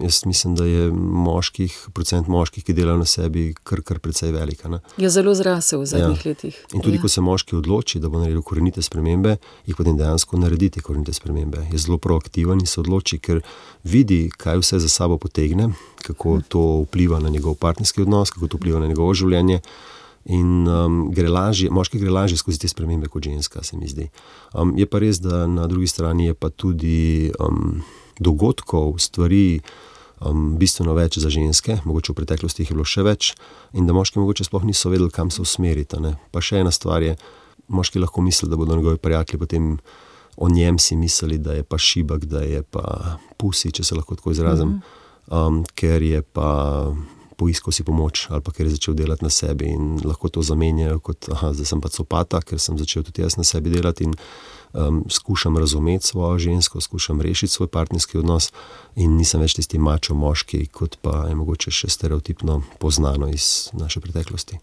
jaz mislim, da je moških, procent moških, ki delajo na sebi, kar, kar precej velika. Ne? Je zelo zrasel v zadnjih ja. letih. In tudi, ja. ko se moški odloči, da bo naredil korenite spremembe, jih potem dejansko naredi te korenite spremembe. Je zelo proaktiven in se odloči, ker vidi, kaj vse za sabo potegne, kako to vpliva na njegov partnerski odnos, kako to vpliva na njegovo življenje. In um, gre lažje, moški gre lažje skozi te spremembe kot ženska, se mi zdi. Um, je pa res, da na drugi strani je pa tudi um, dogodkov, stvari um, bistveno več za ženske, mogoče v preteklosti jih je bilo še več, in da moški mogoče sploh niso vedeli, kam se usmeriti. Ne? Pa še ena stvar je, moški lahko misli, da bodo njegovi prijatelji potem o njem si mislili, da je pa šibak, da je pa pusi, če se lahko tako izrazim, um, ker je pa poiskal si pomoč ali pa ker je začel delati na sebi in lahko to zamenjajo kot, aha, zdaj sem pa copata, ker sem začel tudi jaz na sebi delati in um, skušam razumeti svojo žensko, skušam rešiti svoj partnerski odnos in nisem več tisti mačo moški, kot pa je mogoče še stereotipno poznano iz naše preteklosti.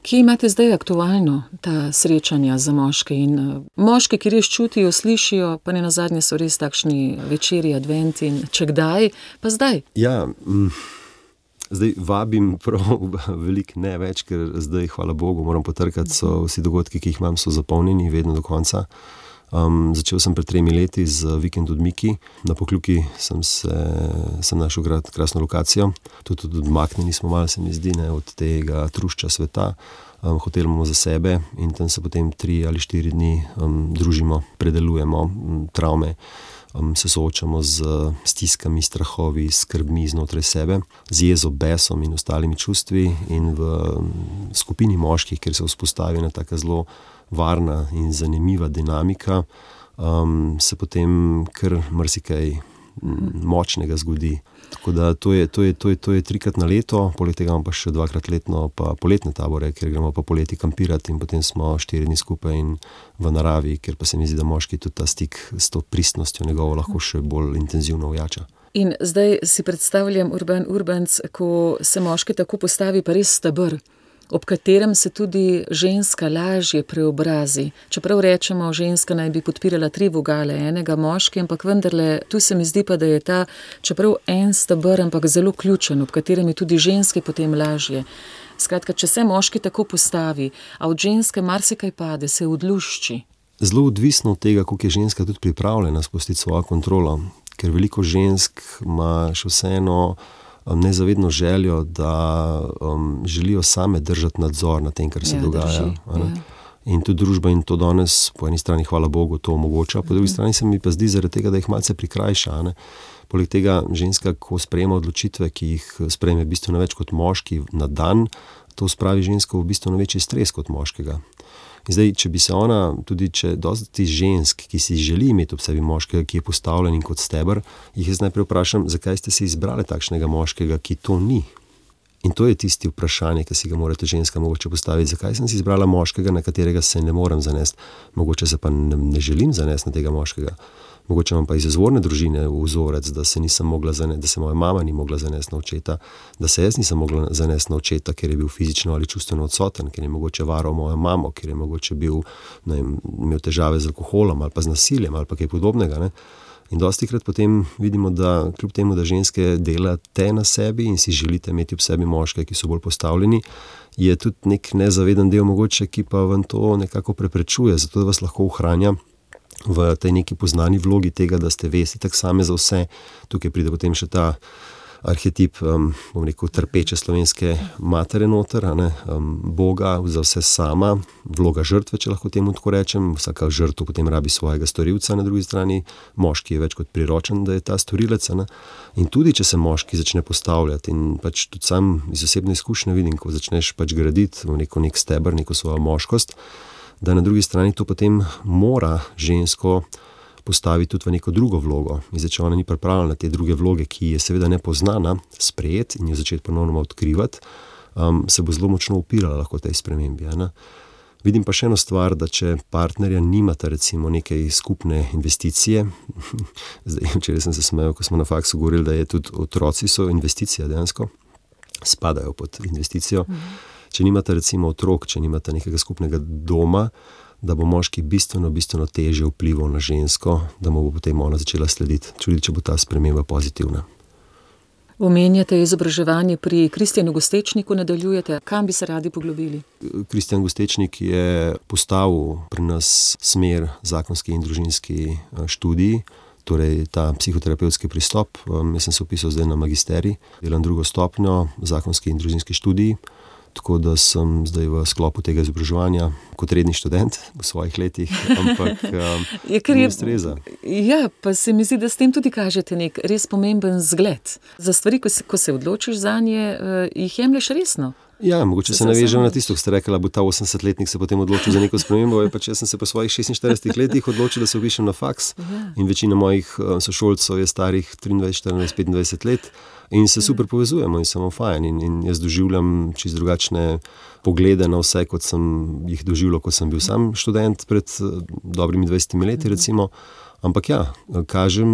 Kje imate zdaj aktualno ta srečanja za moške in uh, moški, ki res čutijo, slišijo, pa ne nazadnje so res takšni večeri, adventi in če kdaj, pa zdaj? Ja, mm. Zdaj vabim prav veliko ne več, ker zdaj, hvala Bogu, moram potrkati, so vsi dogodki, ki jih imam, so zapolnjeni vedno do konca. Um, začel sem pred tremi leti z Vikend odmiki. Na Pokljuki sem, se, sem našel krasno lokacijo. Tudi, tudi odmaknjeni smo malo, se mi zdi, ne, od tega trušča sveta. Um, hotel imamo za sebe in tam se potem tri ali štiri dni um, družimo, predelujemo um, travme. Um, se soočamo z stiskami, strahovi, skrbmi znotraj sebe, z jezo, besom in ostalimi čustvi in v um, skupini moških, kjer se vzpostavi ena taka zelo varna in zanimiva dinamika, um, se potem kar marsikaj um, močnega zgodi. Tako da to je, to je, to je, to je trikrat na leto, poleg tega imamo pa še dvakrat letno pa poletne tabore, kjer gremo pa poleti kampirati in potem smo štiri dni skupaj in v naravi, ker pa se mi zdi, da moški tudi ta stik s to pristnostjo njegovo lahko še bolj intenzivno ojača. In zdaj si predstavljam Urban Urbanc, ko se moški tako postavi, pa res steber, ob katerem se tudi ženska lažje preobrazi. Čeprav rečemo, ženska naj bi podpirala tri vogale enega moški, ampak vendarle, tu se mi zdi pa, da je ta, čeprav en steber, ampak zelo ključen, ob katerem je tudi ženske potem lažje. Skratka, če se moški tako postavi, a od ženske marsikaj pade, se odlušči. Zelo odvisno od tega, koliko je ženska tudi pripravljena spustiti svojo kontrolo, ker veliko žensk ima še vseeno nezavedno željo, da um, želijo same držati nadzor na tem, kar se ja, dogaja. Ja. In tudi družba in to danes, po eni strani, hvala Bogu, to omogoča, po drugi strani se mi pa zdi zaradi tega, da jih malce prikrajša. Ne? Poleg tega ženska, ko sprejema odločitve, ki jih sprejme bistveno več kot moški na dan, to spravi žensko v bistveno večji stres kot moškega. In zdaj, če bi se ona, tudi če dosti žensk, ki si želi imeti ob sebi moškega, ki je postavljen kot steber, jih jaz najprej vprašam, zakaj ste si izbrali takšnega moškega, ki to ni. In to je tisti vprašanje, ki si ga morate ženska mogoče postaviti, zakaj sem si izbrala moškega, na katerega se ne morem zanesti, mogoče se pa ne, ne želim zanesti na tega moškega. Mogoče imam pa iz izvorne družine vzorec, da se nisem mogla zanesti, da se moja mama ni mogla zanesti na očeta, da se jaz nisem mogla zanesti na očeta, ker je bil fizično ali čustveno odsoten, ker je mogoče varal mojo mamo, ker je mogoče bil, ne vem, imel težave z alkoholom ali pa z nasiljem ali pa kaj podobnega. Ne? In dostikrat potem vidimo, da kljub temu, da ženske delate na sebi in si želite imeti ob sebi moške, ki so bolj postavljeni, je tudi nek nezaveden del mogoče, ki pa vam to nekako preprečuje, zato da vas lahko ohranja v tej neki poznani vlogi tega, da ste vesti tak same za vse. Tukaj pride potem še ta arhetip, um, bom rekel, trpeče slovenske matere noter, a ne, um, Boga za vse sama, vloga žrtve, če lahko temu tako rečem, vsaka žrtev potem rabi svojega storilca, na drugi strani moški je več kot priročen, da je ta storilec, a ne. In tudi, če se moški začne postavljati in pač tudi sam iz osebne izkušnje vidim, ko začneš pač graditi neko nek steber, neko svojo moškost, da na drugi strani to potem mora žensko postaviti tudi v neko drugo vlogo. In zdaj, če ona ni pripravljena na te druge vloge, ki je seveda nepoznana, sprejeti in jo začeti ponovno odkrivati, um, se bo zelo močno upirala lahko tej spremembi. Ne? Vidim pa še eno stvar, da če partnerja nimata recimo neke skupne investicije, zdaj včeraj sem se smejal, ko smo na faksu govorili, da je tudi otroci so investicija dejansko, spadajo pod investicijo. Mhm. Če nimata recimo otrok, če nimata nekega skupnega doma, da bo moški bistveno, bistveno težje vplival na žensko, da mu bo potem ona začela slediti, čudi, če bo ta sprememba pozitivna. Omenjate izobraževanje pri Kristjanu Gostečniku, nadaljujete. Kam bi se radi poglobili? Kristjan Gostečnik je postavil pri nas smer zakonski in družinski študij, torej ta psihoterapevtski pristop. Jaz sem se vpisal zdaj na magisterij, delam drugo stopnjo, zakonski in družinski študij, tako da sem zdaj v sklopu tega izobraževanja kot redni študent v svojih letih, ampak um, mi ustreza. Ja, pa se mi zdi, da s tem tudi kažete nek res pomemben zgled. Za stvari, ko se, ko se odločiš zanje, uh, jih jemlješ resno. Ja, mogoče se navežem na tisto, ko ste rekla, bo ta osemdesetletnik se potem odločil za neko spremembo, pa če sem se po svojih šestinštiridesetih letih odločil, da se vpišem na faks, ja. In večina mojih sošolcev je starih triindvajset, štiriindvajset, petindvajset let in se super povezujemo in samo fajn in, in jaz doživljam čisto drugačne poglede na vse, kot sem jih doživljal, ko sem bil sam študent pred dobrimi dvajsetimi leti recimo. Ampak ja, kažem,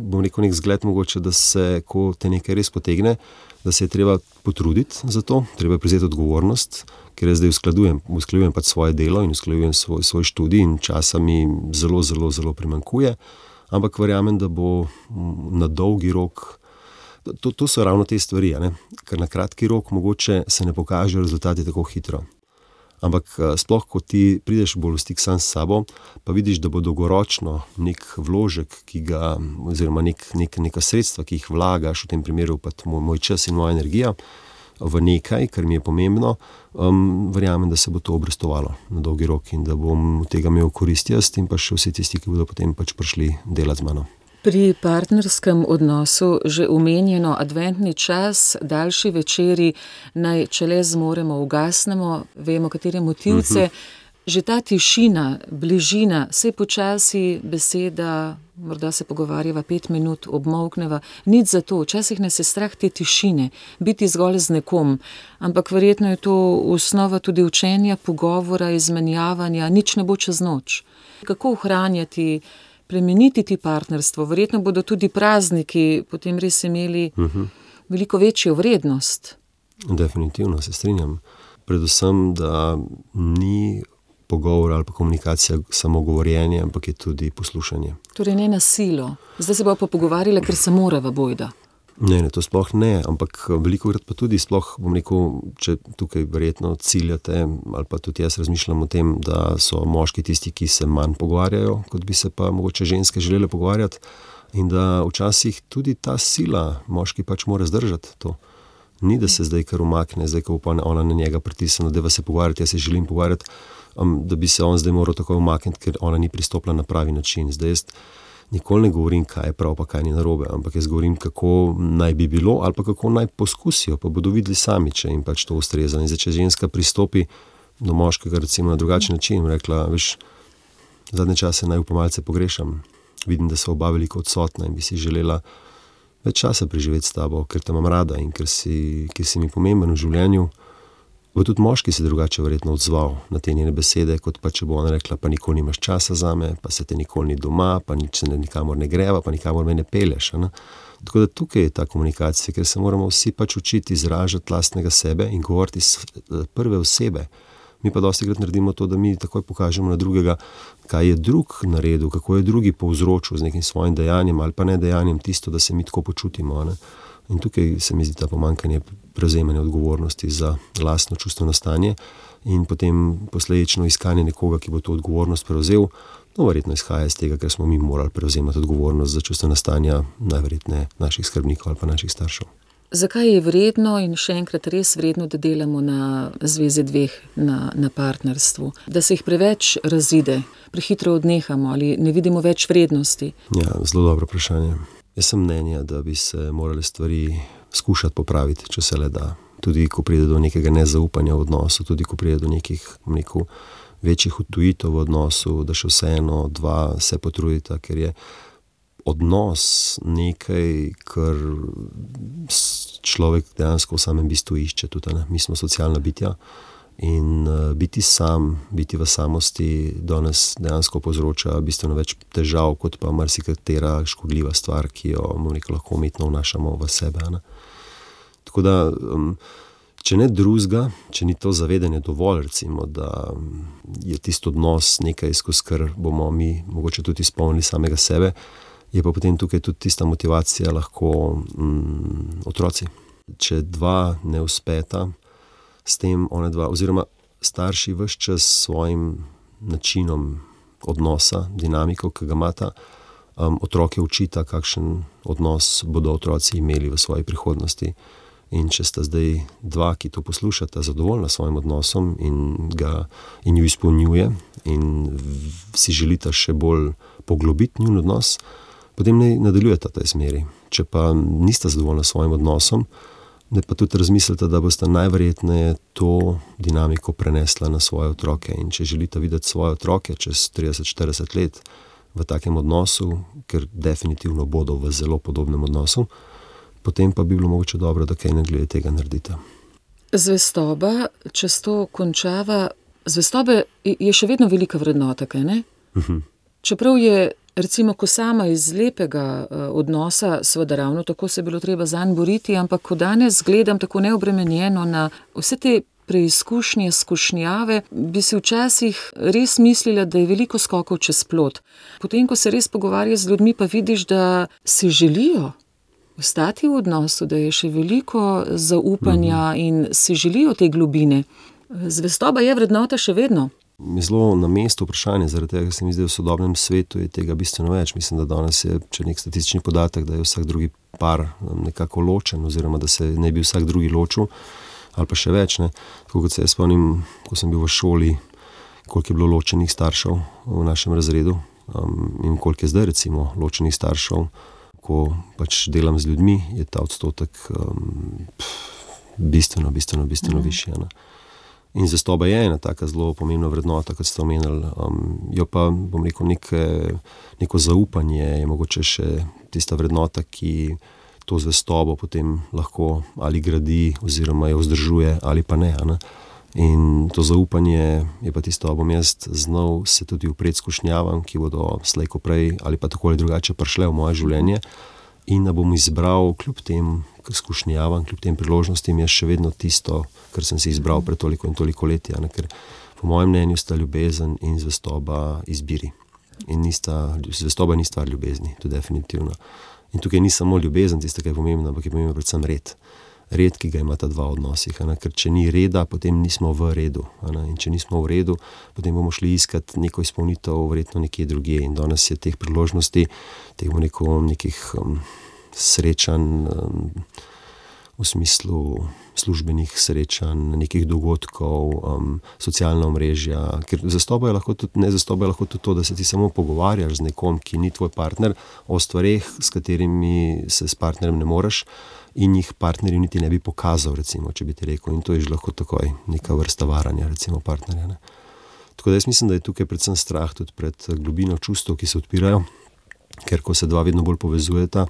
bom rekel nek zgled mogoče, da se, ko te nekaj res potegne, da se je treba potruditi za to, treba prevzeti odgovornost, ker jaz zdaj uskladujem, uskladujem pač svoje delo in uskladujem svoj, svoj študij in časa mi zelo, zelo, zelo primanjkuje, ampak verjamem, da bo na dolgi rok, to, to so ravno te stvari, ne? Ker na kratki rok mogoče se ne pokažejo rezultati tako hitro. Ampak sploh, ko ti prideš bolj v stik sam s sabo, pa vidiš, da bo dolgoročno nek vložek, ki ga, oziroma nek, nek, neka sredstva, ki jih vlagaš, v tem primeru pa moj, moj čas in moja energija, v nekaj, kar mi je pomembno, um, verjamem, da se bo to obrestovalo na dolgi rok in da bom od tega imel korist jaz in pa še vsi tisti, ki bodo potem pač prišli delati z mano. Pri partnerskem odnosu že omenjeno adventni čas, daljši večeri, naj če le zmoremo, ugasnemo, vemo, katere motivce. Uh-huh. Že ta tišina, bližina, sej počasi beseda, morda se pogovarjava pet minut, obmolkneva, nič za to, včasih nas je strah te tišine, biti zgolj z nekom, ampak verjetno je to osnova tudi učenja, pogovora, izmenjavanja, nič ne bo čez noč. Kako ohranjati, premeniti ti partnerstvo, verjetno bodo tudi prazniki potem res imeli uh-huh. veliko večjo vrednost. Definitivno se strinjam. Predvsem, da ni pogovor ali pa komunikacija samo govorjenje, ampak je tudi poslušanje. Torej ne na silo. Zdaj se bo pa pogovarjala, ker se morava bojda. Ne, ne, to sploh ne, ampak velikokrat pa tudi sploh, bom rekel, če tukaj verjetno ciljate, ali pa tudi jaz razmišljam o tem, da so moški tisti, ki se manj pogovarjajo, kot bi se pa mogoče ženske želele pogovarjati in da včasih tudi ta sila moški pač mora zdržati to. Ni, da se zdaj kar umakne, zdaj, ko bo pa ona na njega pritisnila, da se pogovarjati, jaz se želim pogovarjati, um, da bi se on zdaj moral tako umakniti, ker ona ni pristopila na pravi način. Zdaj jaz nikoli ne govorim, kaj je prav, pa kaj ni narobe, ampak jaz govorim, kako naj bi bilo ali pa kako naj poskusijo, pa bodo videli sami, če jim pač to ustreza. In zdaj, če ženska pristopi do moškega recimo na drugačen način, rekla, veš, zadnje čase naj pa malce pogrešam, vidim, da so oba veliko odsotna in bi si želela več časa preživeti s tabo, ker te imam rada in ker si, ker si mi pomemben v življenju, bo tudi moški se drugače verjetno odzval na te njene besede, kot pa če bo ona rekla, pa nikoli nimaš časa zame, pa se te nikoli ni doma, pa nič se nikamor ne greva, pa nikamor me ne peleš. Ne? Tako da tukaj je ta komunikacija, ker se moramo vsi pač učiti izražati lastnega sebe in govoriti iz prve osebe. Mi pa dostikrat naredimo to, da mi takoj pokažemo na drugega, kaj je drug naredil, kako je drugi povzročil z nekim svojim dejanjem ali pa ne dejanjem tisto, da se mi tako počutimo. Ne? In tukaj se mi zdi ta pomanjkanje prevzemanja odgovornosti za lastno čustveno stanje in potem posledično iskanje nekoga, ki bo to odgovornost prevzel. No, verjetno izhaja iz tega, ker smo mi morali prevzemati odgovornost za čustvena stanja najverjetneje naših skrbnikov ali pa naših staršev. Zakaj je vredno in še enkrat res vredno, da delamo na zvezi dveh, na, na partnerstvu? Da se jih preveč razide, prehitro odnehamo ali ne vidimo več vrednosti? Ja, zelo dobro vprašanje. Jaz sem mnenja, da bi se morali stvari skušati popraviti, če se le da. Tudi ko pride do nekega nezaupanja v odnosu, tudi ko pride do nekih neko, večjih odtujitev v odnosu, da še vseeno dva se potrudita, ker je odnos nekaj, kar človek dejansko v samem bistvu išče. Tudi, ne? Mi smo socialna bitja In uh, biti sam, biti v samosti danes dejansko povzroča bistveno več težav, kot pa marsikatera škodljiva stvar, ki jo rekel, lahko umetno vnašamo v sebe. Ne? Tako da, um, če ne drugega, če ni to zavedanje dovolj, recimo, da je tisto odnos nekaj, skozi kar bomo mi mogoče tudi izpolnili samega sebe, je pa potem tukaj tudi tista motivacija lahko um, otroci. Če dva ne uspeta, s tem one dva, oziroma starši ves čas s svojim načinom odnosa, dinamiko, ki ga imata, um, otroke učita, kakšen odnos bodo otroci imeli v svoji prihodnosti. In če sta zdaj dva, ki to poslušata, zadovoljna s svojim odnosom in, ga, in ju izpolnjuje in v, si želita še bolj poglobiti njun odnos, potem ne nadaljujeta v tej smeri. Če pa nista zadovoljna s svojim odnosom, ne pa tudi razmislite, da boste najverjetneje to dinamiko prenesla na svoje otroke. In če želite videti svoje otroke čez trideset do štirideset let v takem odnosu, ker definitivno bodo v zelo podobnem odnosu, potem pa bi bilo mogoče dobro, da kaj ne glede tega naredite. Zvestoba, če to končava, zvestobe je še vedno velika vrednota, kaj ne? Uh-huh. Čeprav je recimo, ko sama iz lepega uh, odnosa, seveda ravno tako se je bilo treba zanj boriti, ampak ko danes gledam tako neobremenjeno na vse te preizkušnje, skušnjave, bi si včasih res mislila, da je veliko skokov čez plot. Potem, ko se res pogovarja z ljudmi, pa vidiš, da si želijo ostati v odnosu, da je še veliko zaupanja mm-hmm. in si želijo te globine. Zvestoba je vrednota še vedno. Zelo na mestu vprašanje, zaradi tega, ker se mi zdi, v sodobnem svetu je tega bistveno več. Mislim, da danes je, če nek statistični podatek, da je vsak drugi par nekako ločen, oziroma da se ne bi vsak drugi ločil, ali pa še več. Ne. Tako kot se jaz spomnim, ko sem bil v šoli, koliko je bilo ločenih staršev v našem razredu um, in koliko je zdaj recimo ločenih staršev, ko pač delam z ljudmi, je ta odstotek um, pff, bistveno, bistveno, bistveno mm. višji. Ne. In zvestoba je ena taka zelo pomembna vrednota, kot ste omenili. Um, jo pa, bom rekel, neke, neko zaupanje je mogoče še tista vrednota, ki to zvestobo potem lahko ali gradi, oziroma jo vzdržuje, ali pa ne. ne? In to zaupanje je pa tisto, da bom jaz znal se tudi upreti skušnjavam, ki bodo slej ko prej ali pa tako ali drugače prišle v moje življenje, in da bom izbral kljub tem skušnjavam, kljub tem priložnostim, je še vedno tisto, kar sem si izbral pred toliko in toliko leti. Ne? Ker po mojem mnenju sta ljubezen in zvestoba izbiri. In nista, zvestoba ni stvar ljubezni, to definitivno. In tukaj ni samo ljubezen tista, ki je pomembna, ampak je pomembna predvsem red. Red, ki ga imata dva v odnosih. Ne? Ker če ni reda, potem nismo v redu. Ne? In če nismo v redu, potem bomo šli iskati neko izpolnitev verjetno nekje drugje. In danes je teh priložnosti, teh neko, nekih um, srečanj, um, v smislu službenih srečanj, nekih dogodkov, um, socialna omrežja. Ker zvestoba je lahko tudi, ne zvestoba je lahko tudi to, da se ti samo pogovarjaš z nekom, ki ni tvoj partner, o stvareh, s katerimi se s partnerjem ne moreš, in jih partnerju niti ne bi pokazal, recimo, če bi ti rekel. In to je že lahko takoj neka vrsta varanja, recimo, partnerja. Ne. Tako da jaz mislim, da je tukaj predvsem strah tudi pred globino čustev, ki se odpirajo, ker ko se dva vedno bolj povezujeta,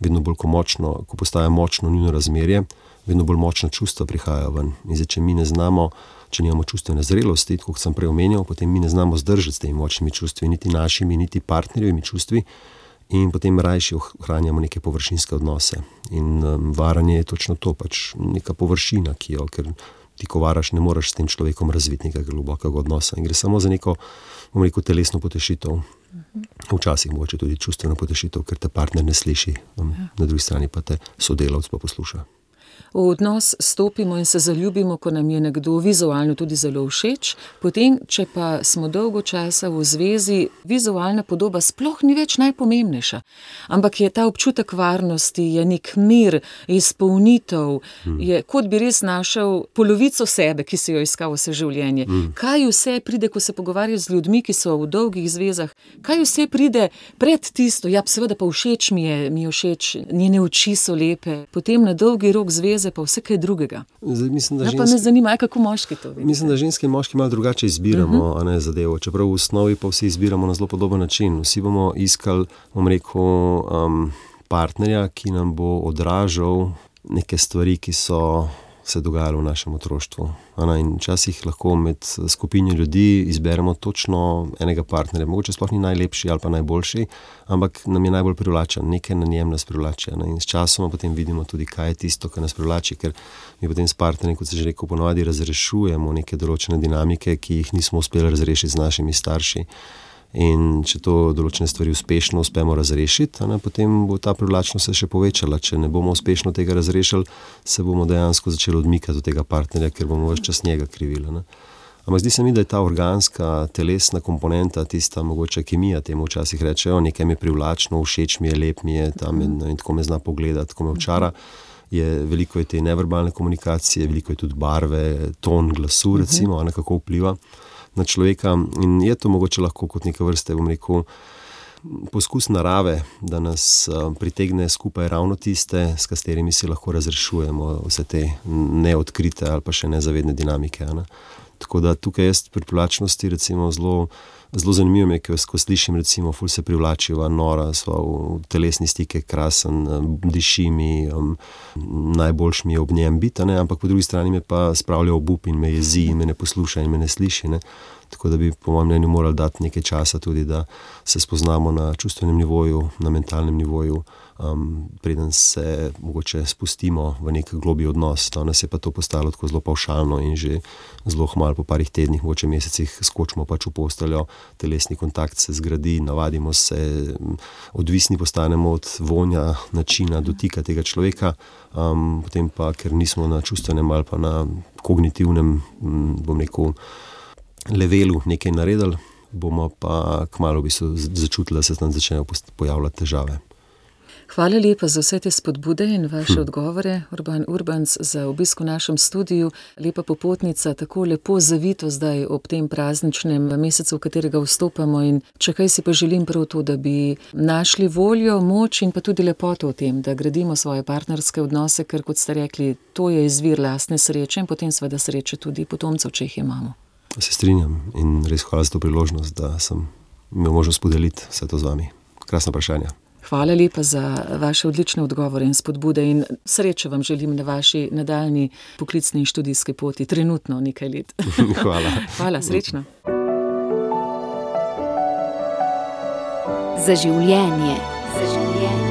vedno bolj ko močno, ko postaja močno njuno razmerje, vedno bolj močna čustva prihajajo ven. In zdaj, če mi ne znamo, če nimamo čustvene zrelosti, kot sem prej omenjal, potem mi ne znamo zdržati s temi močnimi čustvi, niti našimi, niti partnerjevimi čustvi, in potem rajši ohranjamo neke površinske odnose. In um, varanje je točno to, pač neka površina, ki jo, ker ti ko varaš, ne moreš s tem človekom razviti nekega globokega odnosa. In gre samo za neko, bom rekel, telesno potešitev. Včasih mogoče tudi čustveno potešitev, ker te partner ne sliši, um, na drugi strani pa te sodelavc pa posluša. V odnos stopimo in se zaljubimo, ko nam je nekdo vizualno tudi zelo všeč, potem, če pa smo dolgo časa v zvezi, vizualna podoba sploh ni več najpomembnejša, ampak je ta občutek varnosti, je nek mir, izpolnitev, mm. je kot bi res našel polovico sebe, ki si jo iskal vse življenje. Mm. Kaj vse pride, ko se pogovarjaš z ljudmi, ki so v dolgih zvezah, kaj vse pride pred tisto, ja, seveda pa všeč mi je, mi je všeč, njene oči so lepe, potem na dolgi rok zveze pa vse kaj drugega. Zdaj, mislim, da ja, ženske, pa me zanima, kako moški to vidite. Mislim, da ženske in moški malo drugače izbiramo, uh-huh. a ne zadevo. Čeprav v osnovi pa vsi izbiramo na zelo podoben način. Vsi bomo iskali, bom rekel, um, partnerja, ki nam bo odražal neke stvari, ki so se dogajalo v našem otroštvu. In včasih lahko med skupino ljudi izberemo točno enega partnerja. Mogoče sploh ni najlepši ali pa najboljši, ampak nam je najbolj privlačen, nekaj na njem nas privlači. In s časom potem vidimo tudi, kaj je tisto, kar nas privlači, ker mi potem s partnerjem, kot se že rekel, ponovadi razrešujemo neke določene dinamike, ki jih nismo uspeli razrešiti z našimi starši. In če to določene stvari uspešno uspemo razrešiti, ne, potem bo ta privlačnost se še povečala. Če ne bomo uspešno tega razrešili, se bomo dejansko začeli odmikati od tega partnerja, ker bomo ves čas njega krivili. Ne. Ampak zdi se mi, da je ta organska, telesna komponenta, tista mogoče kemija, temu včasih rečejo, nekaj mi je privlačno, všeč mi je, lep mi je, tam in, in tako me zna pogledati, tako me očara. Je, veliko je te neverbalne komunikacije, veliko je tudi barve, ton glasu, recimo, uh-huh. kako vpliva na človeka. In je to mogoče lahko kot neke vrste, bom rekel, poskus narave, da nas uh, pritegne skupaj ravno tiste, s katerimi si lahko razrešujemo vse te neodkrite ali pa še nezavedne dinamike. Ne? Tako da tukaj jaz pri privlačnosti recimo zelo, zelo zanimivo je, ko slišim recimo, ful se privlačiva, nora, sva v telesni stike, krasen, diši mi, um, najboljš mi je ob njem biti, ne? Ampak po drugi strani me pa spravlja obup in me jezi in me ne posluša in me ne sliši. Ne? Tako da bi po mojem mnenju morali dati nekaj časa tudi, da se spoznamo na čustvenem nivoju, na mentalnem nivoju, um, preden se mogoče spustimo v nek globlji odnos. Danes je pa to postalo tako zelo pavšalno in že zelo hmalo po parih tednih, mogoče mesecih skočimo pač v posteljo, telesni kontakt se zgradi, navadimo se, odvisni postanemo od vonja, načina dotika tega človeka, um, potem pa, ker nismo na čustvenem ali pa na kognitivnem, bom rekel, levelu nekaj naredili, bomo pa kmalu v bistvu začutili, da se tam začnejo pojavljati težave. Hvala lepa za vse te spodbude in vaše hm. odgovore, Urban Urbanc, za obisk v našem studiu. Lepa popotnica, tako lepo zavito zdaj ob tem prazničnem mesecu, v katerega vstopamo, in če kaj si pa želim prav to, da bi našli voljo, moč in pa tudi lepoto v tem, da gradimo svoje partnerske odnose, ker kot ste rekli, to je izvir lastne sreče in potem seveda sreče tudi potomcev, če jih imamo. Se strinjam in res hvala za to priložnost, da sem imel možnost podeliti vse to z vami. Krasna vprašanja. Hvala lepa za vaše odlične odgovore in spodbude in sreče vam želim na vaši nadaljnji poklicni in študijski poti, trenutno nekaj let. Hvala. Hvala, srečno. Za življenje. Za življenje.